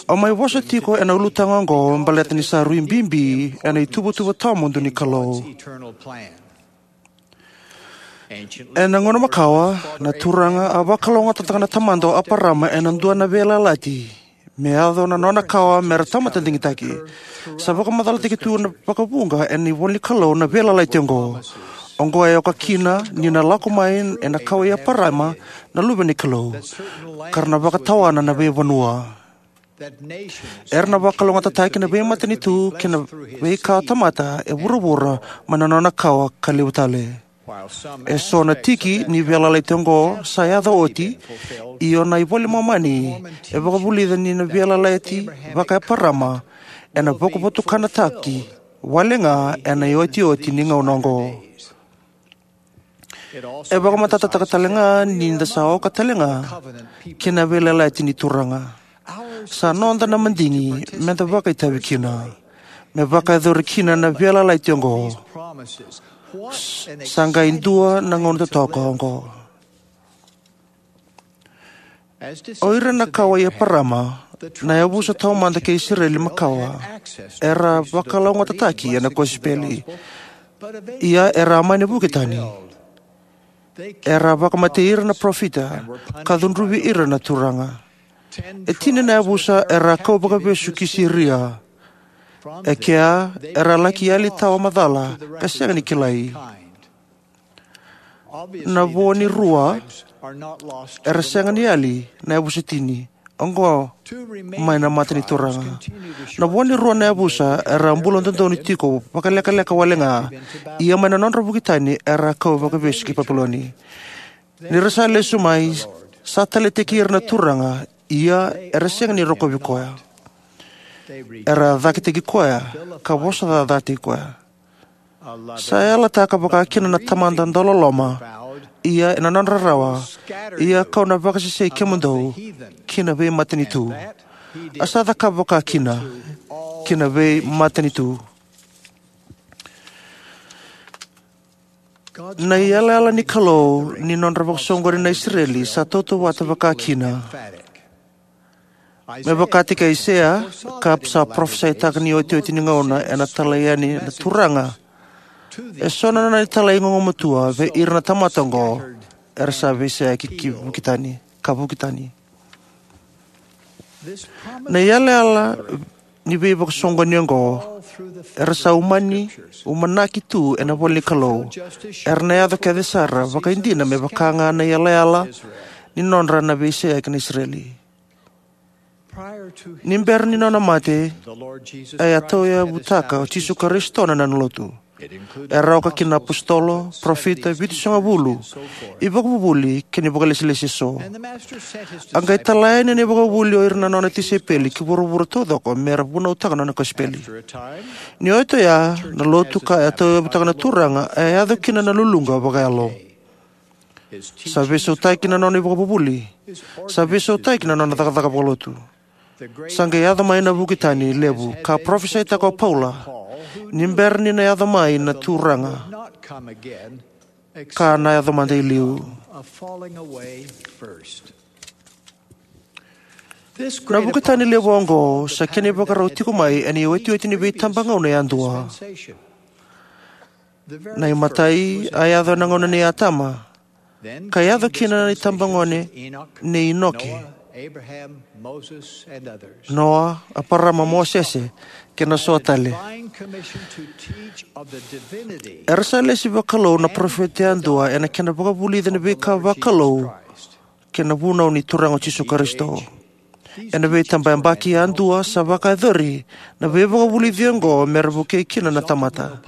Au mai vosa tiko ena ulutaga oqo baleta ni sa rui bibi ena ituvatuva tawamudu ni Kalou. Ena gauna makawa, na Turaga a vakalougatataka na tamada o Eparama ena dua na veiyalayalati me yaco na nona kawa me ra tamata digitaki. Sa vakamacalataki tu vakavuqa ena ivola ni Kalou na veiyalayalati oqo. Oqo e oka kina ni na lako mai ena kawa i Eparama na luve ni Kalou, ka ra na vakatawana na veivanua. Era na vakalougatataki na veimatanitu kei na veika tamata e vuravura mai na nona kawa ka levu tale. Eso na tiki ni veiyalayalati oqo sa yaco oti, ia na iVola i Momani e vakavulica ni na veiyalayalati vaka-Eparama ena vakavotukanataki wale ga ena iotioti ni gauna oqo. E vakamatatataka tale ga ni da sa oka tale ga ki na veiyalayalati ni Turaga. Sa noda na madigi meda vakaitavi kina, me vakayacori kina na veiyalayalati oqo. Sa qai dua na gauna totoka oqo. O ira na kawa i Eparama, na yavusa taumada kei Isireli makawa, era vakalougatataki ena kosipeli. Ia era a mani vuki tani. Era a vakamatei ira na parofita, ka cudruvi ira na Turaga. E tini na yavusa era a kau vakavesu ki Siria. E kea era a laki yali tawa macala ka sega ni kilai. Na vo ni rua era sega ni yali, na yavusa tini oqo mai na mata ni Turaga. Na vo ni rua na yavusa era a bula dodonu tiko vakalekaleka wale ga, ia mai na nodra vuki tani era a kau vakavesu ki Papiloni. Ni ra sa lesu mai, sa taleitaki ira na Turaga, ia era sega ni rokovi koya. Era a cakitaki koya ka vosacacataki koya. Sa yalataka vakakina na Tamada dauloloma, ia ena nodra rarawa, ia kau na vakasesei kemudou ki na veimatanitu. A sa cakava vakakina ki na veimatanitu. Na iyalayala ni Kalou ni nodra vakasoqoni na Isireli sa tautauvata vakakina. Me vakataki Aisea, ka sa parofisaitaka ni otioti ni gauna ena talai yani na Turaga eso na nona italai gugumatua vei ira na tamata oqo era sa veiseyaki ki vuki tani, ka vuki tani. Na iyalayala ni veivakasoqoni oqo era sa umani, umanaki tu ena ivola ni Kalou. Era na yaco kece sara vakaidina me vaka ga na iyalayala ni nodra na veiseyaki na Isireli. Ni bera ni nona mate, e a tauyavutaka o Jisu Karisito na nona lotu. Era oka kina na apositolo, parofita, vitusagavulu, ivakavuvuli kei na vakailesilesi eso. A qai tala yani na ivakavuvuli o ira na nona tisaipeli ki vuravura taucoko me ra vunautaka na nona kosipeli. Ni oti oya, na lotu ka e a tauyavutaka na Turaga e a yaco kina na luluqa vakayalo. Sa veisautaki na nona ivakavuvuli. Sa veisautaki na nona cakacaka vakalotu. Sa qai yaco mai na vuki tani levu ka parofisaitaka o Paula, ni bera ni na yaco mai na Turaga, ka na yaco mada i liu. Na vuki tani levu oqo sa kena ivakarau tiko mai ena iotioti ni veitabagauna yadua. Na imatai a yaco ena gauna nei Atama, ka yaco kina na itabagone nei Inoke, Noa, Eparama, Mosese, kei na so tale. Era sa lesi vakalou na parofita yadua ena kena vakavulica na veika vakalou kei na vunau ni Turaga o Jisu Karisito. Ena veitabayabaki yadua sa vakayacori na veivakavulici oqo me ra vukei kina na tamata.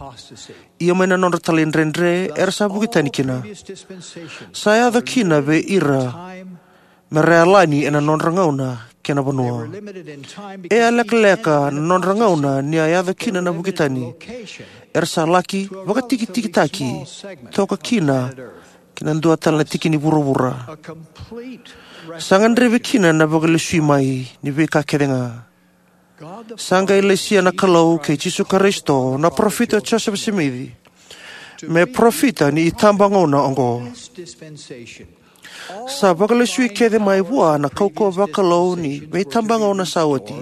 Ia mai na nodra talaidredre era sa vuki tani kina. Sa yaco kina vei ira me ra yalani ena nodra gauna kei na vanua. E a lekaleka na nodra gauna ni a yaco kina na vuki tani. Era sa laki vakatikitikitaki toka kina ki na dua tale na tiki ni vuravura. Sa gadrevi kina na vakalesui mai ni veika kece ga. Sa qai lesia na Kalou kei Jisu Karisito na parofita o Josefa Simici me parofita ni itabagauna oqo. Sa vakalesui kece mai vua na kaukauwa vakalou ni veitabagauna sa oti.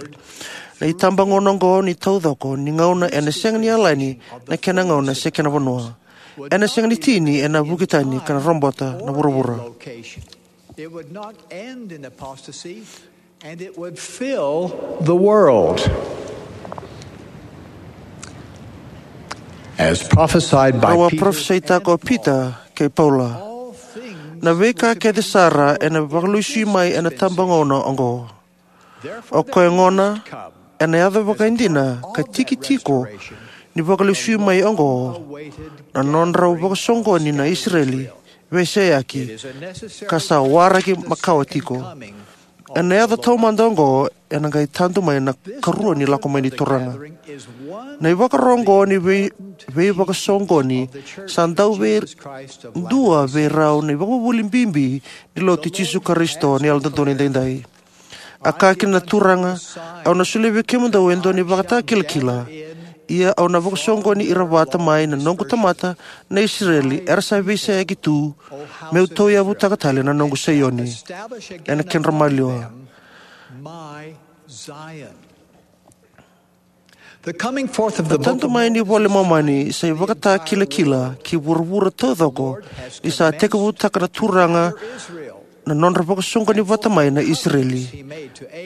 Na itabagauna oqo ni taucoko ni gauna ena sega ni yalani na kena gauna se kena vanua. Ena sega ni tini ena vuki tani ka na robota na vuravura. It would not end in apostasy, and it would fill the world. As prophesied by Rau a Peter parofisaitaka o Pita kei Paula. Na veika kece sara ena vakalesui mai ena tabagauna oqo. O koya gona, ena yaco vakaidina ka tiki tiko ni vakalesui mai oqo na nodrau vakasoqoni na Isireli veiseyaki, ka sa waraki makawa tiko. Ena yaco taumada oqo ena qai tadu mai na karua ni lako mai ni Turaga. Na ivakaro oqo ni vei, veivakasoqoni sa dau vei dua vei rau na ivakavuvuli bibi ni lotu i Jisu Karisito ni Yalododonu Edaidai. A kaya kina na Turaga, au na solia vei kemudou e dua na ivakatakilakila. Ia au na vakasoqoni ira vata mai na noqu tamata na Isireli era sa veiseyaki tu, meu tauyavutaka tale na noqu Saioni ena kedra maliwa. Na tadu mai ni iVola i Momani sa ivakatakilakila ki vuravura taucoko ni sa tekivutaka na Turaga na nodra vakasoqoni vata mai na Isireli,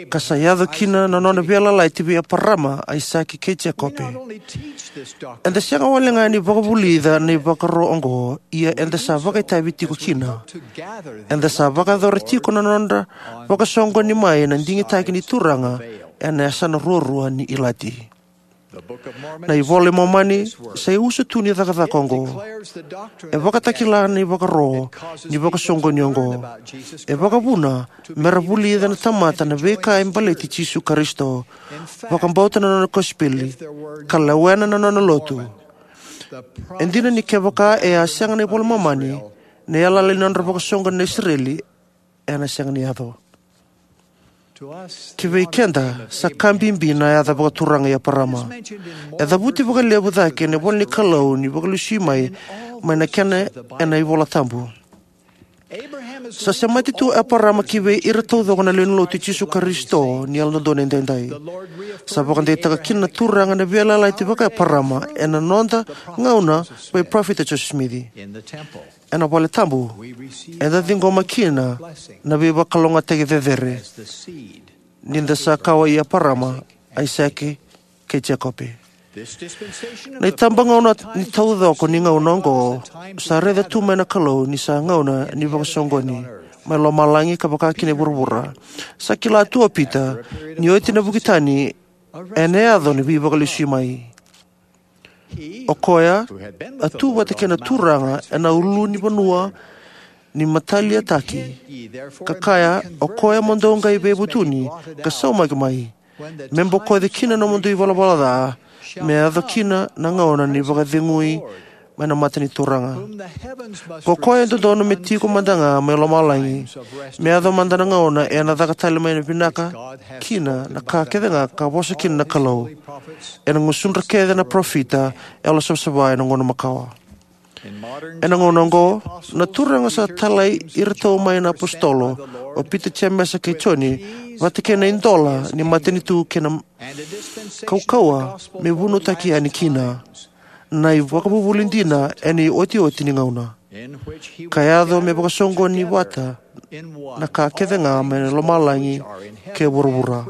ka sa yaco kina na nona veiyalayalati vei Eparama, Aisake kei Jekope. Eda sega wale ga ni vakavulica na ivakaro oqo, ia eda sa vakaitavi tiko kina. Eda sa vakayacora tiko na nodra vakasoqoni mai na digitaki ni Turaga ena yasana ruarua ni ilati. Na iVola i Momani sa iusutu ni cakacaka oqo. E vakatakila na ivakaro ni vakasoqoni oqo. E vakavuna me ra vulica na tamata na veika e baleti Jisu Karisito, vakabauta na nona kosipeli, ka lewena na nona lotu. E dina ni kevaka e a sega na iVola i Momani, na yalayala ni nodra vakasoqoni na Isireli ena sega ni yaco. Ki vei keda, sa ka bibi na yaca vakaturaga i Eparama. E cavuti vakalevu cake ena ivola ni Kalou ni vakalesui mai, mai na kena ena iVola Tabu. Sa semati tu Eparama ki vei ira taucoko na lewe ni lotu i Jisu Karisito ni Yalododonu Edaidai. Sa vakadeitaka kina na Turaga na veiyalayalati vaka-Eparama ena noda gauna vei Parofita Josefa Simici. Ena vale tabu, eda ciqoma kina na veivakalougatataki cecere ni da sa kawa i Eparama, Aisake, kei Jekope. Na itabagauna ni taucoko ni gauna oqo sa raica tu mai na Kalou ni sa gauna ni vakasoqoni mai lomalagi ka vaka kina i vuravura. Sa kila tu o Pita ni oti na vuki tani ena yaco na veivakalesui mai. O koya a tu vata kei na Turaga ena ulunivanua ni mataliataki, ka kaya, "O koya mo dou qai veivutuni ka saumaki mai, me bokoci kina na nomudou ivalavala ca, me yaco kina na gauna ni vakacegui mai na mata ni Turaga. Ko koya e dodonu me tiko mada ga mai lomalagi, me yaco mada na gauna ena caka tale mai na vinaka kina na ka kece ga ka vosa kina na Kalou ena gusudra kece na parofita yalosavasava ena gauna makawa." Ena gauna oqo, na Turaga sa talai iratou mai na apositolo, o Pita, Jemesa kei Joni, vata kei na idola ni matanitu kei na kaukauwa me vunautaki yani kina na ivakavuvuli dina ena iotioti ni gauna, ka yaco me vakasoqoni vata na ka kece ga mai na lomalagi kei vuravura.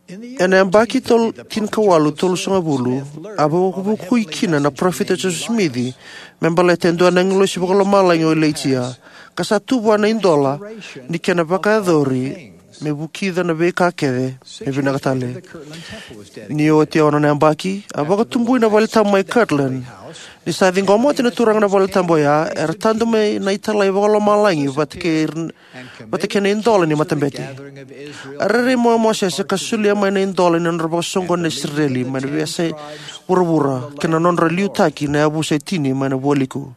Ena yabaki tol-, tinikawalu tolusagavulu, a vakavukui kina na Parofita Josefa Simici me baleta e dua na agilosi vakalomalagi o Ilaija, ka sa tu vua na idola ni kena vakayacori me vukica na veika kece me vinaka tale. Ni oti e ono na yabaki, a vakatubui na vale tabu mai Kirtland. Ni sa ciqoma oti na Turaga na vale tabu oya, era tadu mai na italai vakalomalagi vata kei ira vata kei na idola ni matabete. A rairai mai o Mosese ka solia mai na idola ni nodra vakasoqoni na Isireli mai na veiyasai vuravura, kei na nodra liutaki na yavusa e tini mai na vualiku.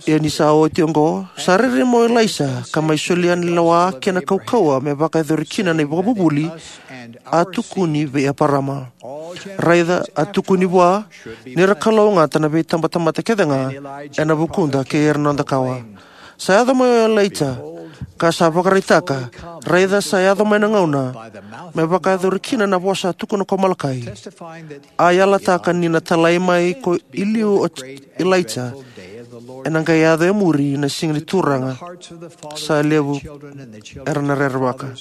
Ia ni sa oti oqo, sa rairai mai o Ilaisa ka mai solia na lewa kei na kaukauwa me vakayacori kina na ivakavuvuli a tukuni vei Eparama. Raica, a tukuni vua ni ra kalougata na veitabatamata kece ga ena vukuda kei ira na noda kawa. Sa yaco mai o Ilaija, ka sa vakaraitaka, raica, sa yaco mai na gauna me vakayacori kina na vosa a tukuna ko Malakai, a yalataka ni na talai mai ko i liu o Ilaija, ena qai yaco e muri na siga ni Turaga, sa levu era na rerevaka.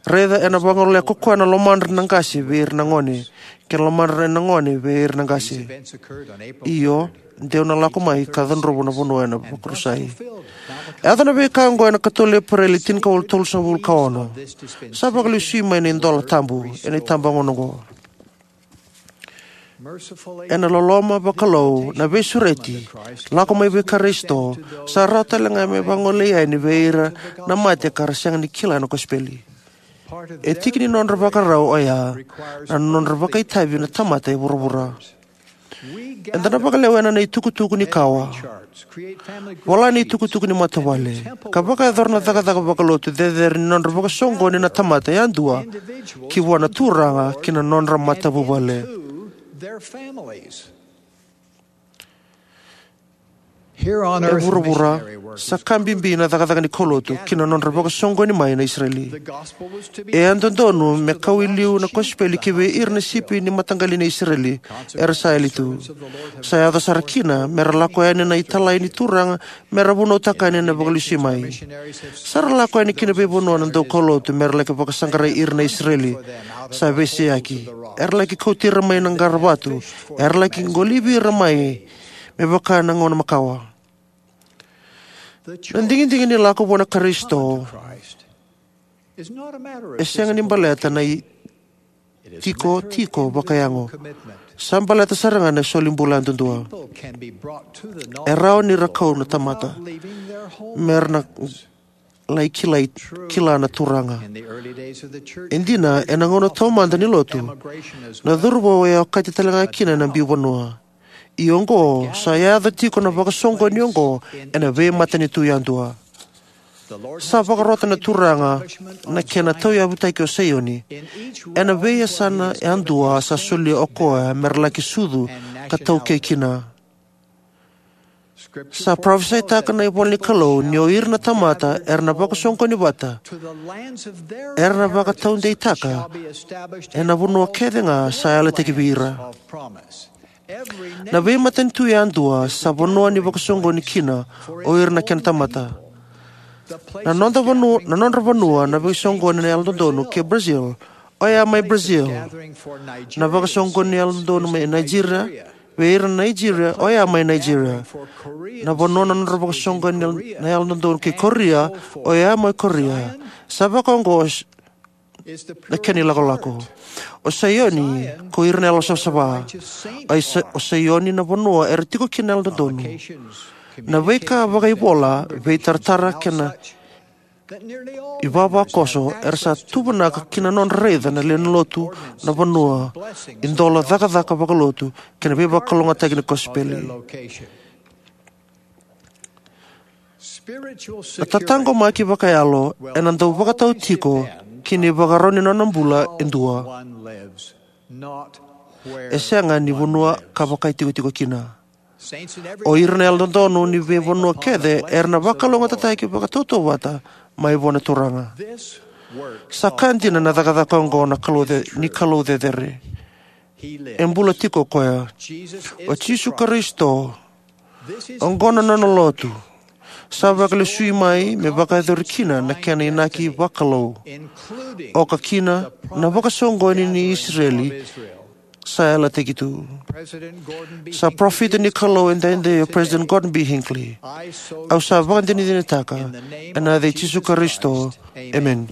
Raica, ena vagolea ko koya na lomadra na qase vei ira na gone, kei na lomadra na gone vei ira na qase. Io, de'u na lako mai ka cudruva na vanua ena vakarusai. E yaco na veika oqo ena ikatolu Epereli tinikawalu tolusagavulu ka ono. Sa vakalesui mai na idola tabu ena itabagauna oqo. Ena loloma vakalou, na veisureti lako mai vei Karisito sa rawa tale ga me vagolei yani vei ira na mate ka ra sega ni kila na kosipeli. E tiki ni nodra vakarau oya na nodra vakaitavi na tamata e vuravura. Eda na vakalewena na itukutuku ni kawa, vola na itukutuku ni matavuvale, ka vakayacora na cakacaka vakalotu cecere ni nodra vakasoqoni na tamata yadua ki vua na Turaga kei na nodra matavuvale. E vuravura, sa ka bibi na cakacaka ni kaulotu kei na nodra vakasoqoni mai na Isireli. E a dodonu me kau i liu na kosipeli ki vei ira na sipi ni mataqali ni Isireli era sa yali tu. Sa yaco sara kina me ra lako yani na italai ni Turaga me ra vunautaka yani na vakalesui mai. Sa ra lako yani ki na veivanua na daukaulotu me ra laki vakasaqarai ira na Isireli sa veiseyaki. Era laki kauti ira mai na qaravatu. Era laki qolivi ira mai me vaka na gauna makawa. Na digidigi ni lako vua na Karisito E sega ni baleta na i- tiko tiko vakayago. Sa baleta sara ga na soli bula yadudua. E rawa ni ra kau na tamata me ra na lai kilai kila na Turaga. E dina, ena gauna taumada ni lotu, na cauravou e okati tale ga kina na biu vanua. Ia oqo sa yaco tiko na vakasoqoni oqo ena veimatanitu yadua. Sa vakarota na Turaga na kena tauyavutaki o Saioni. Ena veiyasana yadua sa solia o koya me ra laki sucu ka taukei kina. Sa parofisaitaka na ivola ni Kalou ni o ira na tamata era na vakasoqoni vata, era na vakataudeitaka ena vanua kece ga sa yalataki vei ira. Na veimatanitu yadua sa vanua ni vakasoqoni kina o ira na kena tamata. Na noda vanua, na nodra vanua na vakasoqoni na yalododonu ke Brazil, oya mai Brazil. Na vakasoqoni yalododonu mai Nigeria, vei ira na Nigeria, oya mai Nigeria. Na vanua na nodra vakasoqoni na yalododonu ke Korea, oya mai Korea. Sa vakaoqo na kena ilakolako. O Saioni ko ira na yalosavasava. O Sa- o Saioni na vanua era tiko kina na yalododonu. Na veika vakaivola, veitaratara kei na ivavakoso era sa tuvanaka ki na nodra raica na lewe ni lotu, na vanua, idola, cakacaka vakalotu kei na veivakalougatataki ni kosipeli. Na tataqomaki vakayalo ena dau vakatau tiko ki na ivakarau ni nona bula e dua. E sega ni vanua ka vakaitikotiko kina. O ira na yalododonu ni veivanua kece era na vakalougatataki vakatautauvata mai vua na Turaga. Sa ka dina na cakacaka oqo na Kalou ce- ni Kalou cecere. E bula tiko o koya. O Jisu Karisito, oqo na nona lotu. Sa vakalesui mai me vakayacori kina na kena inaki vakalou, oka kina na vakasoqoni ni Isireli sa yalataki tu. Sa parofita ni Kalou edaidai o President Gordon B. Hinckley. Au sa vakadinadinataka ena yaca i Jisu Karisito. Emeni.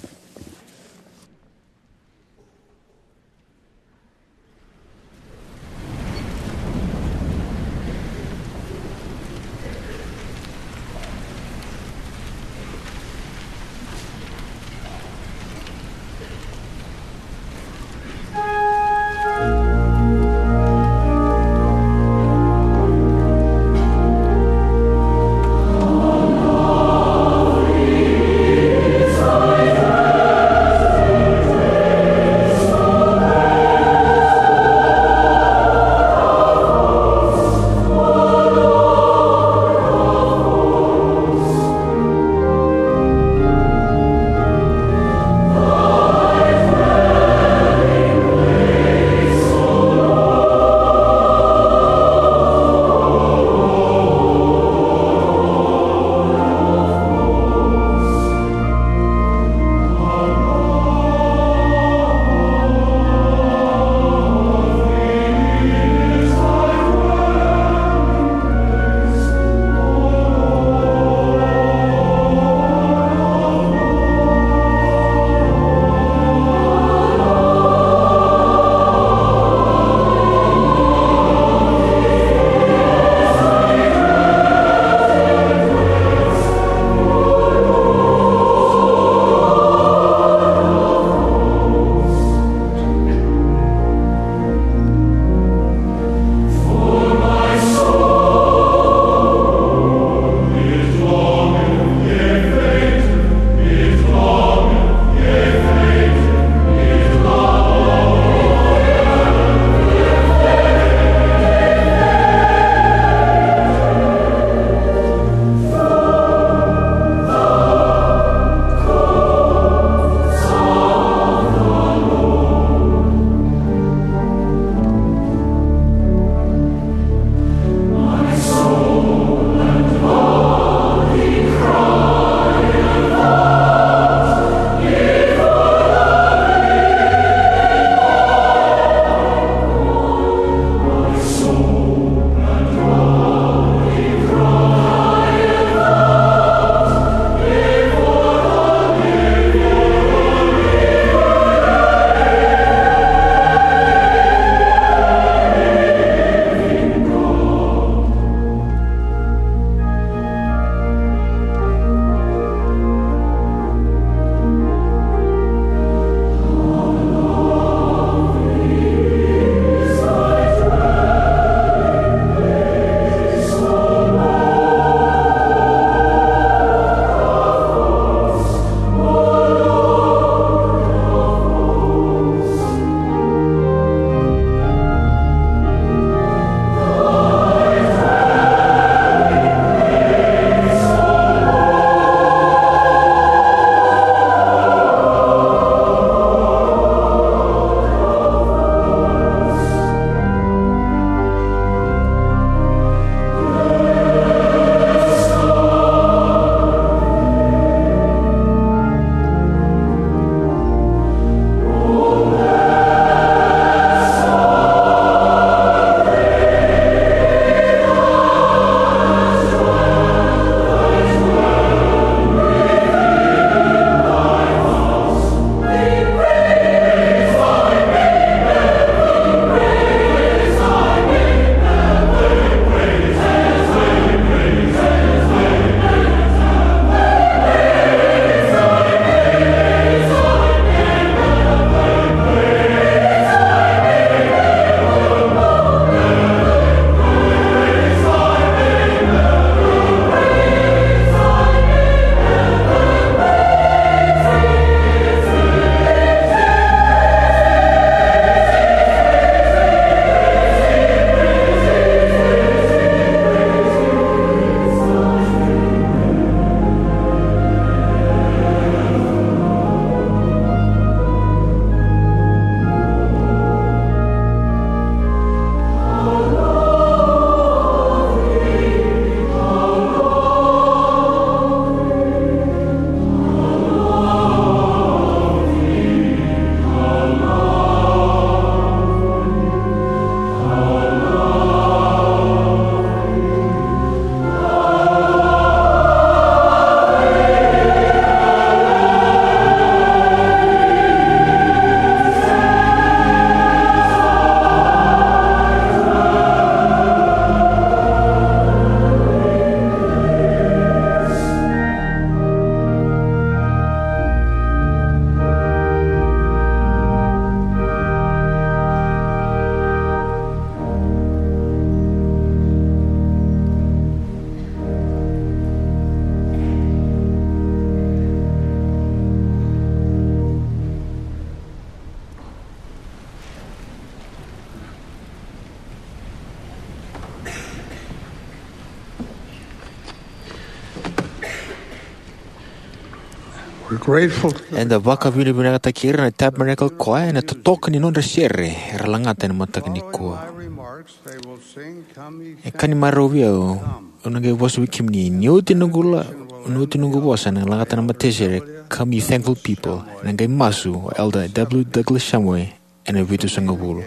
We're grateful to the Eda vakavinavinakataki ira na Tabernacle Choir ena totoka ni nodra sere era lagata ena mataka nikua. Remarks, they will sing, "Come ye E ka ni marau vei au, au na qai vosa vei kemuni. Ni oti noqu la, ni oti noqu vosa, na lagata na matasere, Come ye thankful people. Na qai masu o Elder W Douglas Shumway ena vitusagavulu.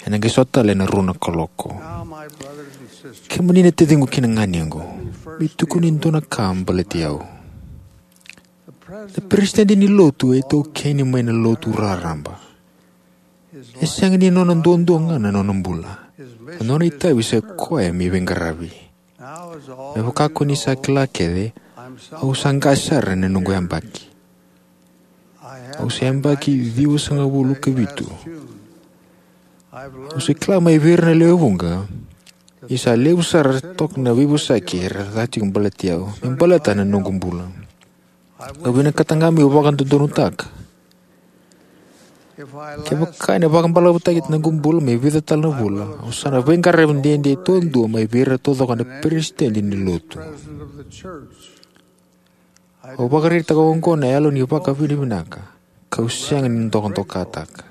Ena qai sota tale ena rua na kaloko." Now, my brothers and sisters, Kemuni na taciqu kei na ganequ, me tukuni e dua na ka baleti au. Na peresitedi ni lotu e taukeni mai na lotu raraba. E sega ni nona duadua ga na nona bula. Na nona itavi sa koya me veiqaravi. Me vaka ko ni sa kila kece, au sa qase sara ena noqu yabaki. Au sa yabaki ciwasagavulu ka vitu. Au sa kila mai vei ira na lewe vuqa, ni sa levu sara toka na veivosaki era ca tiko baleti au me baleta na noqu bula. Au vinakata ga meu vakadodonutaka. Kevaka ena vakabalavutaki na noqu bula me vica tale na vula, au sa na veiqaravi dede taudua mai vei ira taucoko na peresitedi ni lotu. Au vakaraitaka oqo na yalo ni vakavinavinaka, kau sega ni dokadokataka.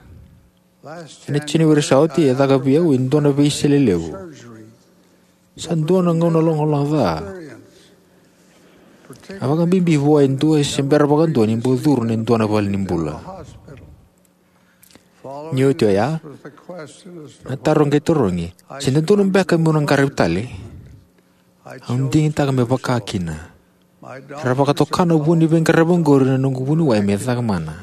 Ena January sa oti e caka vei au e dua na veisele levu. Sa dua na gauna logaloga ca. A vakabibi vua e dua e se bera vakadua ni bau curu ena dua na valenibula. Ni oti oya, na taro qai tarogi, "Se dodonu beka meu na qaravi tale?" Au digitaka me vaka kina. Era vakatoka na vu ni veiqaravi oqori na noqu vuniwai me caka mana.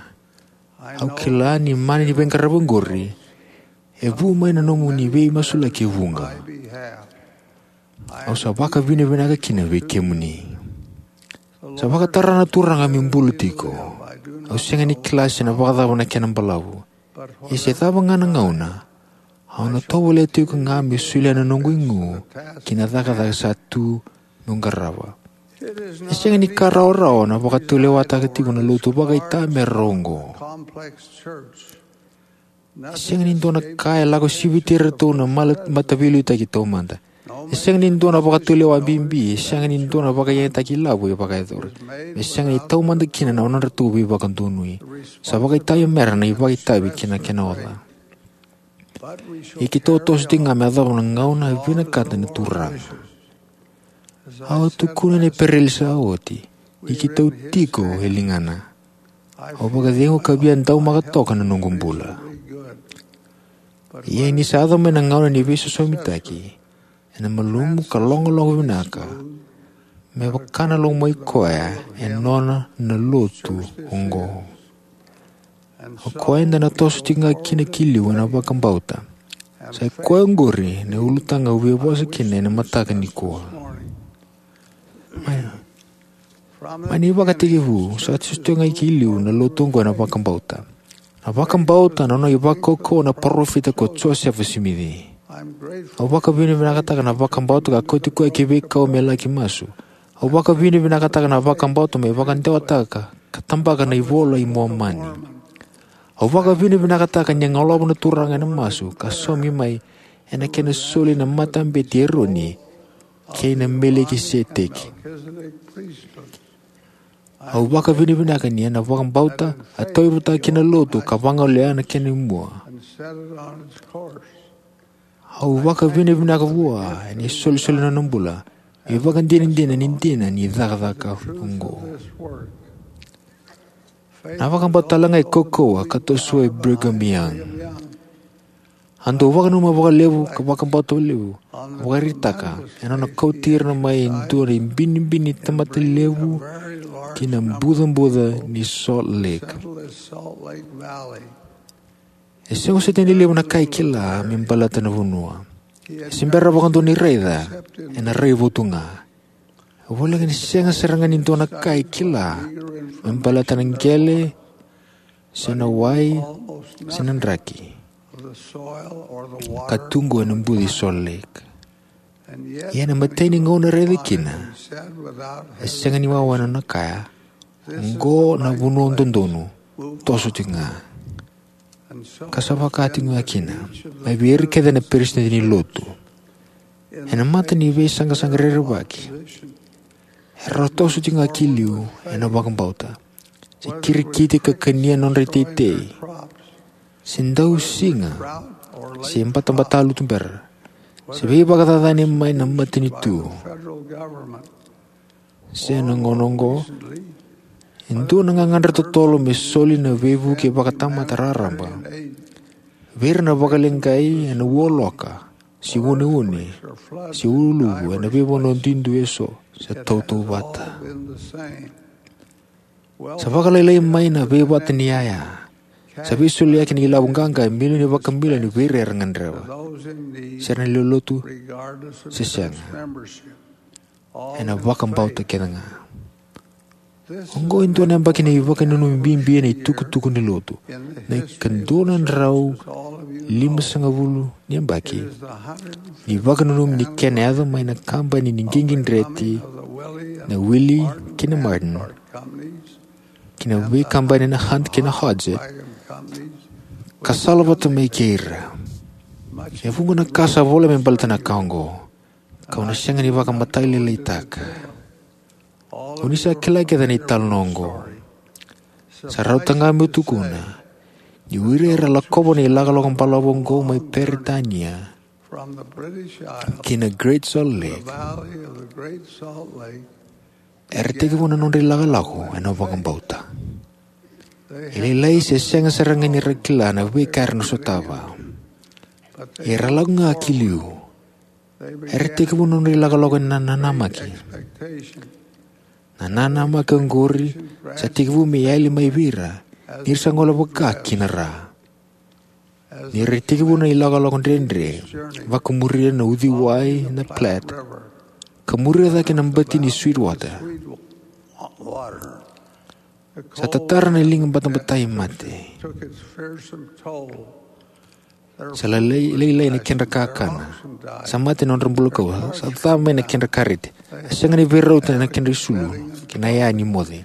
Au kila ni mana ni veiqaravi oqori e vu mai na nomuni veimasulaki e vuqa. Au sa vakavinavinaka kina vei kemuni. Sa vakatara na Turaga meu bula tiko. Au sega ni kila se na vakacava na kena balavu. Ia se cava ga na gauna, au na tovolea tiko ga me solia na noqu igu ki na cakacaka sa tu meu qarava. E sega ni ka rawarawa na vakatulewataka tiko na lotu vakaitamera oqo. E sega ni dua na ka e lako siviti iratou na mala-, mataveiliutaki taumada. E sega ni dua na vakatulewa bibi, e sega ni dua na vakayagataki ilavo e vakayacori. E sega ni taumada kina na nodratou veivakadonui. Sa vakaitavi mera na ivakaitavi kina kena oca. Ia keitou toso tiko ga me yacova na gauna e vinakata na Turaga. Au tukuna ena pereli sa oti, ni keitou tiko e ligana. Au vakacegu ka via daumaka toka na noqu bula. Ia ni sa yaco mai na gauna ni veisosomitaki, ena malumu ka logaloga vinaka, me vaka na lomai koya e nona na lotu oqo. O koya eda na toso tiko ga kina ki liu ena vakabauta. Sa i koya oqori na ulutaga au via vosa kina ena mataka nikua. Mai, mai na ivakatekivu, sa toso tiko ga ki liu na lotu oqo ena vakabauta. Na vakabauta na nona ivakaukauwa na parofita ko Josefa Simici. Au vakavinavinakataka na vakabauta ka kauti koya ki veikau me laki masu. Au vakavinavinakataka na vakabauta me vakadewataka ka tabaka na iVola i Momani. Au vakavinavinakataka ni a golova na Turaga ena masu ka saumi mai ena kena soli na matabete i Eroni kei na Melikiseteki. Au vakavinavinaka ni ena vakabauta a tauyavutaka kina na lotu ka vagolea na kena imua. Au vakavinavinaka vua ena isolisoli na nona bula, ivakadinadina ni dina ni cakacaka oqo. Na vakabauta talega e kaukauwa ka tosoya o Brigham Young. A dau vakananuma vakalevu ka vakabauta vakalevu, vakaraitaka ena nona kauti ira mai e dua na ibinibini tamata levu ki na bucabuca ni Salt Lake. E sega soti ni levu na ka e kila me baleta na vanua. E se bera vakadua ni raica, ena raivotu ga. E voleka ni sega sara ga ni dua na ka e kila me baleta na qele, se na wai, se na draki ka tu qo ena buca i Salt Lake. Ia ena imatai ni gauna e raica kina, e sega ni wawa na nona kaya, "Oqo na vanua dodonu, toso tiko ga." Ka sa vaka tiko ga kina mai vei ira kece na peresitedi ni lotu. Ena mata ni veisaqasaqa rerevaki, Era toso tiko ga ki liu ena vakabauta, se kirikiti ka kania nodra iteitei, se dausiga, se batabata lutu bera, se veivakacacani mai na matanitu. Se na gauna oqo, e dua na gagadre totolo me soli na veivuke vakatamata raraba vei ira na vakaleqai ena ualoka, se uneune, se uluvu ena veivanua duidui eso, se tautauvata. Sa vakalailai mai na veivata ni yaya. Sa veisoliyaki na ilavo qaqa e milioni vakamilioni vei ira era gadreva. Se ra na lewe ni lotu se sega, ena vakabauta kece ga. Oqo e dua na yabaki ni vakananumi bibi ena itukutuku ni lotu. Na ikadua na drau limasagavulu ni yabaki ni vakananumi ni kena yaco mai na kabani ni qiqidreti, na Willie kei na Martin, kei na veikabani na Hunt kei na Hodgett, ka salavata mai kei ira. E vuqa na ka sa vola me baleta na ka oqo, kau na sega ni vakamatailalailaitaka. O ni sa kila kece na italanoa oqo. Sa rauta ga meu tukuna ni o ira era lakova na ilakolako balavu oqo mai Peritania ki na Great Salt Lake, era tekivu na nodra ilakolako ena vakabauta. E lailai se sega sara ga ni ra kila na veika era na sotava. Era lako ga ki liu. Era tekivu na nodra ilakolako ena nanamaki. Na nanamaki oqori sa tekivu me yali mai vei ira ni ra sa gole vaka ki na ra. Ni ra tekivu na ilakolako dredre, vakamuria na uciwai na Platte, ka muria cake na bati ni Sweetwater, sa tatara na liga batabatai mate. Sa lailai, lailai na kedra kakana. Sa mate na nodra bulakau. Sa ca mai na kedra kareti. A sega ni veirauta na kedra isulu kei na yaya ni moce.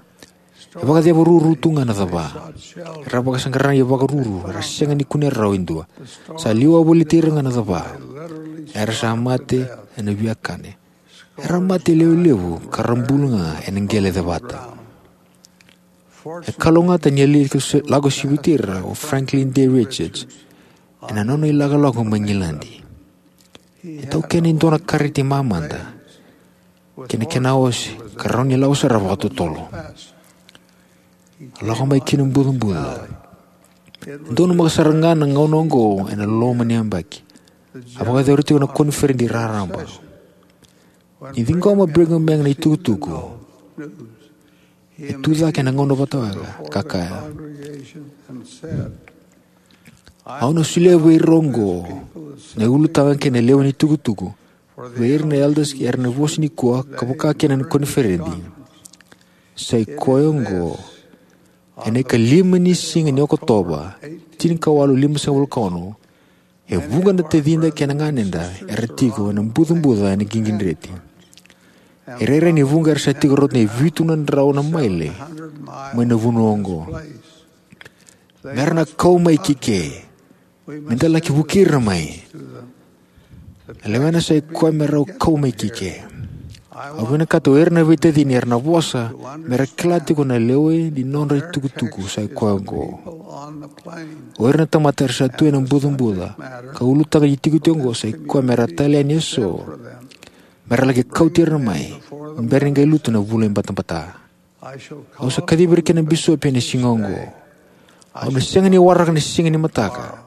E vakaceva ruru tu ga na cava. Era vakasaqara na ivakaruru, era sega ni kunea rawa e dua. Sa liwa voliti ira ga na cava. Era sa mate ena viakane. Era mate lewe levu ka ra bula ga ena qele cevata. E kalougata ni a lako siviti ira o Franklin D. Richards ena nona ilakolako mai Igiladi. E taukena e dua na kareti mamada kei na kena ose ka rawa ni lako sara vakatotolo. A lako mai ki na bucabuca. E donumaka sara ga na gauna oqo ena loma ni yabaki. A vakayacori tiko na koniferedi raraba. Ni ciqoma Brigham Young na itukutuku, e tu cake ena gauna vata oya ka kaya, "Au na solia vei ira oqo na ulutaga kei na lewe ni tukutuku, vei ira na elders kei ira na vosa nikua ka vaka kina na koniferedi. Sa i koya oqo, ena ikalima ni siga ni Okotova, tinikawalu limasagavulu ka ono, e vuqa na tacida kei na ganeda era tiko ena bucabuca ena qiqidreti. E rairai ni vuqa era sa tiko rauta ni vitu na drau na maile mai na vanua oqo. Mera na kau mai ki ke. Meda laki vukei ira mai. Na lewena sa i koya me rau kau mai ki ke." Au vinakata o ira na veitacini era na vosa, mera kila tiko na lewe ni nodra itukutuku sa i koya oqo. O ira na tamata era sa tu ena bucabuca ka ulutaga ni itukutuku oqo sa i koya mera tale yani eso, mera laki kauti ira mai ni bera ni qai lutu na vula i batabata. Au sa kacivi ira kei na bisopi ena siga oqo. Au na sega ni waraka na siga ni mataka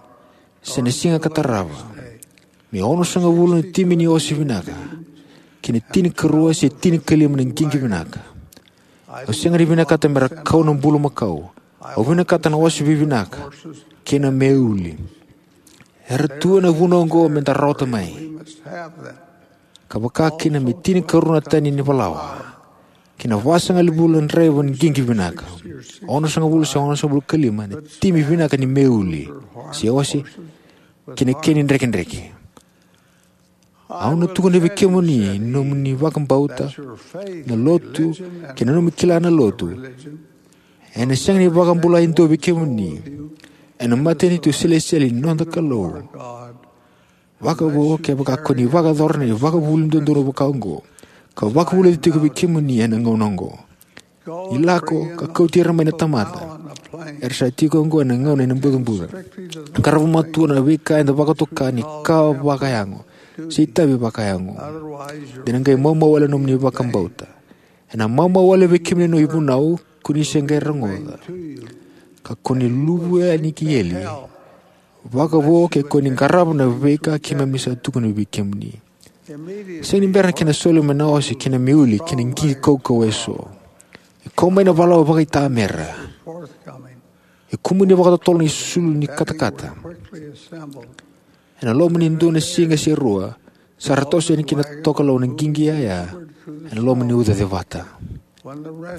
se na siga ka tarava. Me onosagavulu na timi ni ose vinaka kei na tinikarua se tinikalima na qiqi vinaka. Au sega ni vinakata mera kau na bulumakau. Au vinakata na ose vivinaka kei na meuli. Era tu ena vanua oqo meda rawata mai. Ka vaka kina me tinikarua na tani ni valawa kei na vasagavulu na draiva ni qiqi vinaka, onosagavulu se onosagavulu ka lima na timi vinaka ni meuli se ose, kei na kena drekidreki. Au na tukuna vei kemuni ni nomuni vakabauta, na lotu, kei na nomuni kila na lotu ena sega ni vakabula e dua vei kemuni ena matanitu selesitieli ni noda Kalou. Vakavo kevaka ko ni vakayacora na ivakavuvuli dodonu vaka oqo, ka vakavulici tiko vei kemuni ena gauna oqo. Ni lako ka kauti ira mai na tamata era sa tiko oqo ena gauna ena bucabuca. Qarava matua na veika eda vakatoka ni ka vakayago se itavi vakayago. De na qai maumau wale na nomuni vakabauta. Ena maumau wale vei kemuni na ivunau ko ni se qai rogoca, ka ko ni luvu yani ki eli. Vakavo ke ko ni qarava na veika keimami sa tukuna vei kemuni. Sega ni bera na kena soli mai na ose kei na meuli kei na qiqi kaukauwa eso. E kau mai na valawa vakaitamera. E kumuni vakatotolo na isulu ni katakata. Ena loma ni dua na siga se rua, sa ra toso yani ki na tokalau na qiqi yaya ena loma ni uca cevata.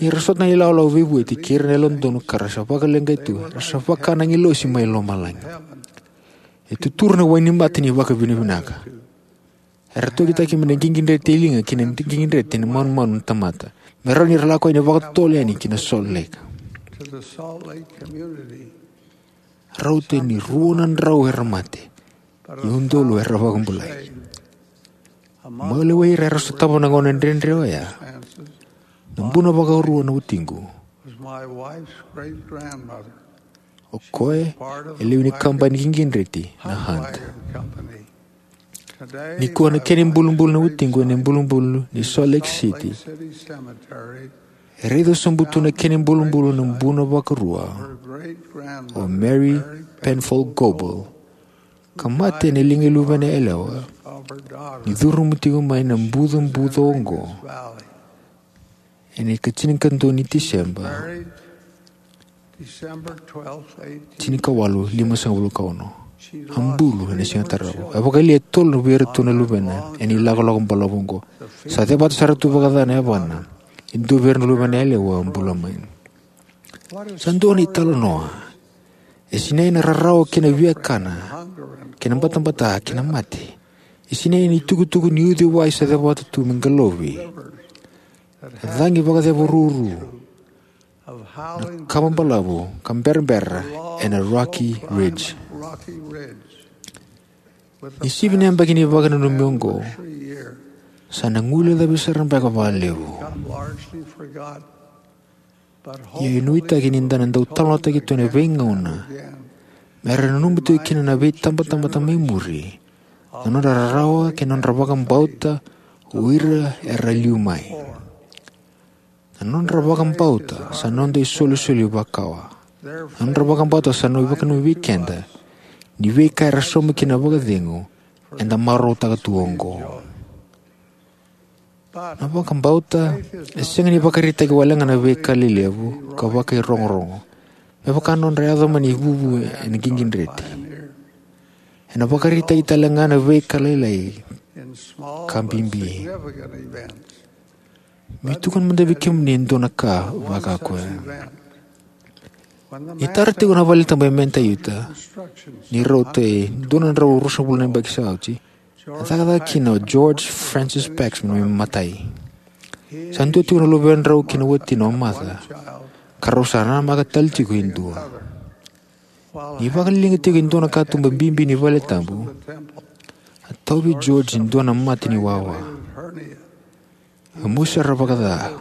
Ni ra sota na ilawalawa veivueti kei ira na yalododonu ka ra sa vakaleqai tu, era sa vaka na agilosi mai lomalagi. E tuturu na wainimata ni vakavinavinaka. Era tokitaki mai na qiqidreti e liga ki na qiqidreti ni manumanu na tamata, me rawa ni ra lako yani vakatotolo yani ki na Salt Lake. Rauta ni rua na drau era mate, ia udolu era vakabulai. Mai lewai ira era sotava na gauna dredre oya, na buna vakarua na watiqu. O koya e lewe ni kabani qiqidreti na Hunt. Nikua na kena ibulubulu na watiqu ena ibulubulu ni Salt Lake City. E raica sobu tu na kena ibulubulu na buna vakarua o Mary Penfold Goebel, ka mate ena liga i luvena yalewa ni curuma tiko mai na bucabuca oqo. Ena ikatinikadua ni Tiseba, tinikawalu limasagavulu ka ono. A bulu ena siga tarava. A vakayalia e tolu vei iratou na luvena ena ilakolako balavu oqo. Sa cevata sara tu vakaca na yavana. E dua vei ira na luvena yalewa a bula mai. Sa dua na italanoa. E sinai na rarawa kei na viakana, kei na batabata kei na mate. E sinai na itukutuku ni uciwai sa cevata tu me qalovi. E cagi vakaceva ruru na kama balavu ka berabera ena Rocky Ridge. Ni sivi na yabaki ni vakananumi oqo, sa na guilecavi sara beka vakalevu. Ia e nuitaki ni da na dau talanoataki tu ena veigauna me ra nanuma tiko kina na veitabatamata mai muri na nodra rarawa kei na nodra vakabauta o ira era liu mai. Na nodra vakabauta sa noda isolisoli vakawa. Na nodra vakabauta sa na ivakananumi vei keda ni veika era sauma kina vakacegu eda marautaka tu oqo. Na vakabauta e sega ni vakaraitaki wale ga na veika lelevu ka vakairogorogo me vaka na nodra yaco mai na ivuvu ena qiqidreti. Ena vakaraitaki tale ga na veika lailai ka bibi. Me tukuna mada vei kemuni e dua na ka vaka koya. Ni tara tiko na vale tabu e Manta, Utah, ni rauta e dua na drau ruasagavulu na yabaki sa oti, a cakacaka kina o George Francis Paxman me matai. Sa dua tiko na luvedrau kei na watina o Martha, ka rau sa namaka tale tiko e dua. Ni vakaliga tiko e dua na katuba bibi ni vale tabu, a tauvi George e dua na mate ni wawa. A mosi sara vakaca.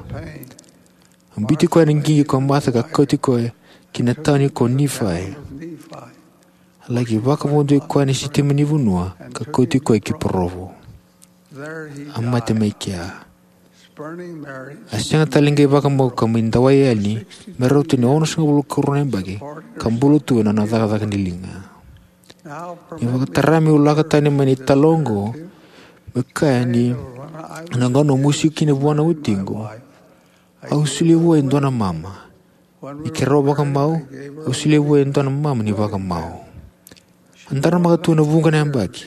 A biuti koya na qiqi ko Martha ka kauti koya ki na tauni ko Nifai. A laki vakavodoki koya na sitima ni vanua ka kauti koya ki Provo. A mate mai kea. A sega tale qai vakamau ka mai dawai yani me rauta ni onosagavulu ka rua na yabaki ka bula tu ena nona cakacaka ni liga. Ni vakatara meu lako tani mai na itala oqo, me kaya ni na gauna au mosi kina vua na watiqu, au solia vua e dua na mama. Ni keirau vakamau, au solia vua e dua na mama ni vakamau. A daramaka tu ena vuqa na yabaki.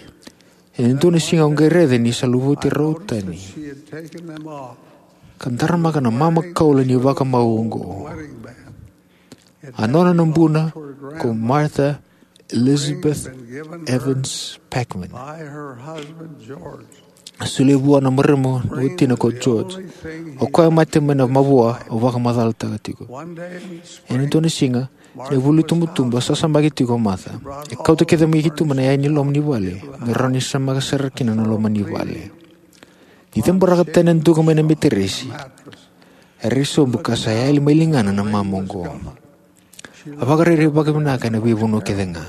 Ena dua na siga au qai raica ni sa luvati rau tani. Ka daramaka na mama kaula ni vakamau oqo. A nona na buna ko Martha Elizabeth Evans Paxman. A solia vua na marama na watina ko George. O koya mate mai na mavoa au vakamacalataka tiko. Ena dua na siga, ena vuli tubutubu, a sasamaki tiko o Martha. E kauta kece mai ki tuba na yaya ni loma ni vale me rawa ni samaka sara kina na loma ni vale. Ni caburaka tani na duka mai na meteresi, e rai sobu ka sa yali mai ligana na mama oqo. A vakarairai vakavinaka ena veivanua kece ga.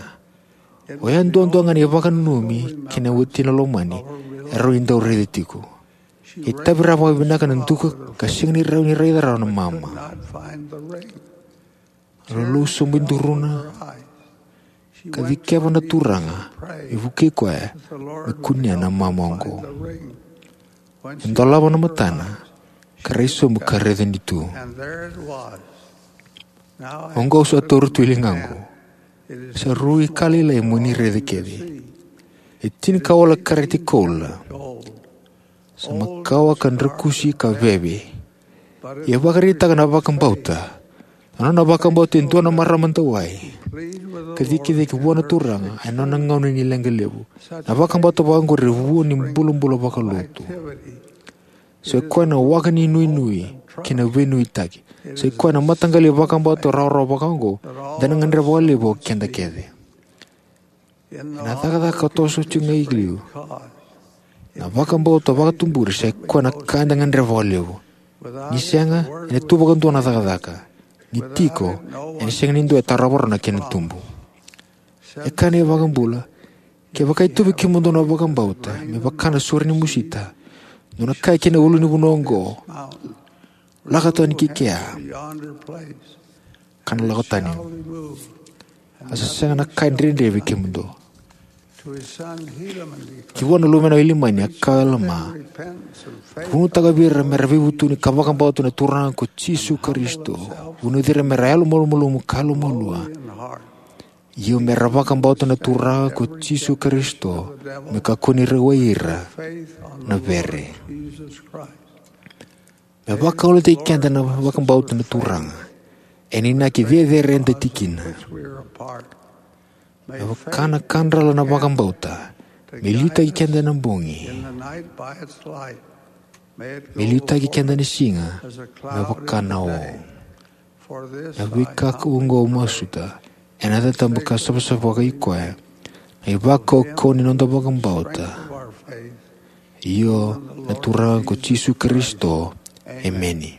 Oya duadua ga na ivakananumi kei na watina lomani e rawa ni dau raica tiko. E tavi rawa vakavinaka na duka ka sega ni rawa ni raica rawa na mama. Lolou sobu e duruna, ka cikeva na Turaga me vukei koya me kunea na mama oqo. E dolava na matana, ka rai sobu ka raica ni tu. Oqo au sa taura tu e ligaqu. Sa rui ka lailai mo ni raica kece. E tinikawalu kareti koula. Sa makawa ka drakusi ka veve. Ia vakaraitaka na vakabauta. Na nona vakabauta e dua na marama dawai ka cikecike vua na Turaga ena nona gauna ni leqa levu. Na vakabauta vakaoqori e vua ni bulabula vakalotu. Sa i koya na waka ni nuinui kei na veinuitaki. Sa i koya na mataqali vakabauta rawarawa vakaoqo eda na gadreva vakalevu o keda kece. Ena cakacaka ka toso tiko ga i liu, na vakabauta vakatuburi sa i koya na ka eda gadreva vakalevu. Ni sega, ena tu vakadua na cakacaka. Ni tiko, ena sega ni dua e tarova rawa na kena tubu. E kaya na iVakabula, kevaka e tu vei kemudou na vakabauta me vaka na sore ni musita, dou na kaya ki na ulunivanua oqo, lako tani ki kea, ka na lako tani. A sa sega na ka e dredre vei kemudou. Ki vua na luvena o Ilamani a kaya o Alama, vunitaka vei ira me ra veivutuni ka vakabauta na Turaga ko Jisu Karisito. Vunuci ira me ra yalomalumalumu ka yalomalua. Io, me ra vakabauta na Turaga ko Jisu Karisito me kakua ni rawai ira na vere. Me vakalougatataki keda na vakabauta na Turaga ena inaki cecere eda tiko kina. Me vaka na kadrala na vakabauta me liutaki keda ena bogi, me liutaki keda ena siga me vaka na o. Na veika oqo au masuta ena yaca tabu ka savasava vakaikoya, na ivakaukauwa ni noda vakabauta. Io, na Turaga ko Jisu Karisito. Emeni.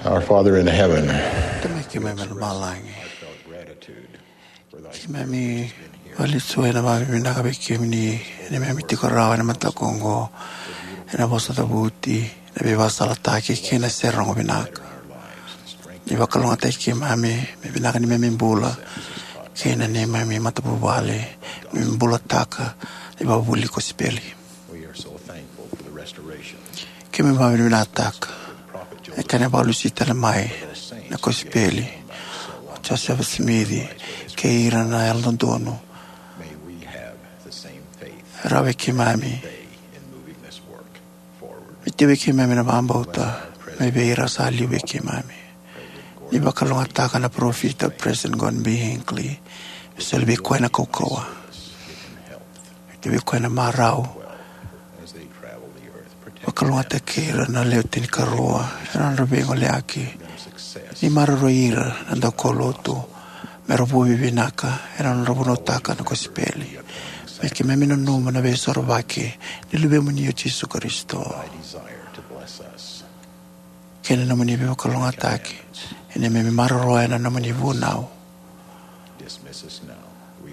Our Father in heaven, Tamai keimami mai lomalagi, keimami valicu ena vavinavinaka vei kemuni ena neimami tiko rawa ena mataka oqo, ena vosa cavuti, na veivakasalataki kei na sere rogo vinaka. Ni vakalougatataki keimami me vinaka ni neimami bula kei na neimami matavuvale, me bulataka na ivakavuvuli ni kosipeli. Keimami vakavinavinakataka e kena valusi tale mai na kosipeli o Josefa Simici kei ira na yalododonu. Rawa vei keimami me tiko vei keimami na vakabauta mai vei ira sa liu vei keimami. Ni vakalougatataka na parofita President Gordon B Hinckley, me soli vei koya na kaukauwa, me tiko vei koya na marau. Vakalougatataki ira na lewe tinikarua ena nodra veigoleyaki. Ni maroroi ira na daukaulotu me ra vuavi vinaka ena nodra vunautaka na kosipeli. Me keimami nanuma na veisorovaki ni Luvemuni o Jisu Karisito kei na nomuni veivakalougatataki ena neimami maroroya na nomuni vunau.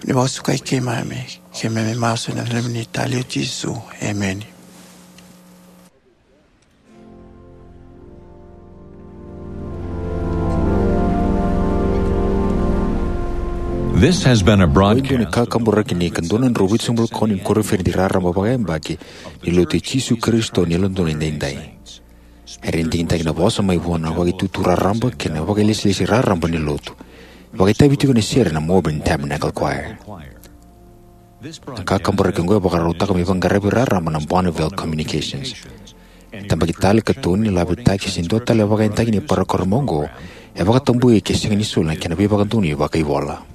Ni vakasukai keimami, keimami masu ena nomuni tali o Jisu. Emeni. This has been a broadcast. Oi dua ni kakaburaki ni ka dua na drau vitusagavulu ka ono ni koniferedi raraba vakayabaki ni Lotu i Jisu Karisito ni Yalododonu Edaidai. Era digitaki na vosa mai vua na Vakaitutu Raraba kei na Vakailesilesi Raraba ni Lotu. Vakaitavi tiko ena sere na Melbourne Tabernacle Choir. Na kakaburaki oqo e vakarautaka me ivakaqaravi raraba na Bonneville Communications. E tabaki tale, katoni, laveti se dua tale na vakayagataki ni parokaramu oqo e vakatabui ke sega ni soli na kena veivakadonui vakaivola.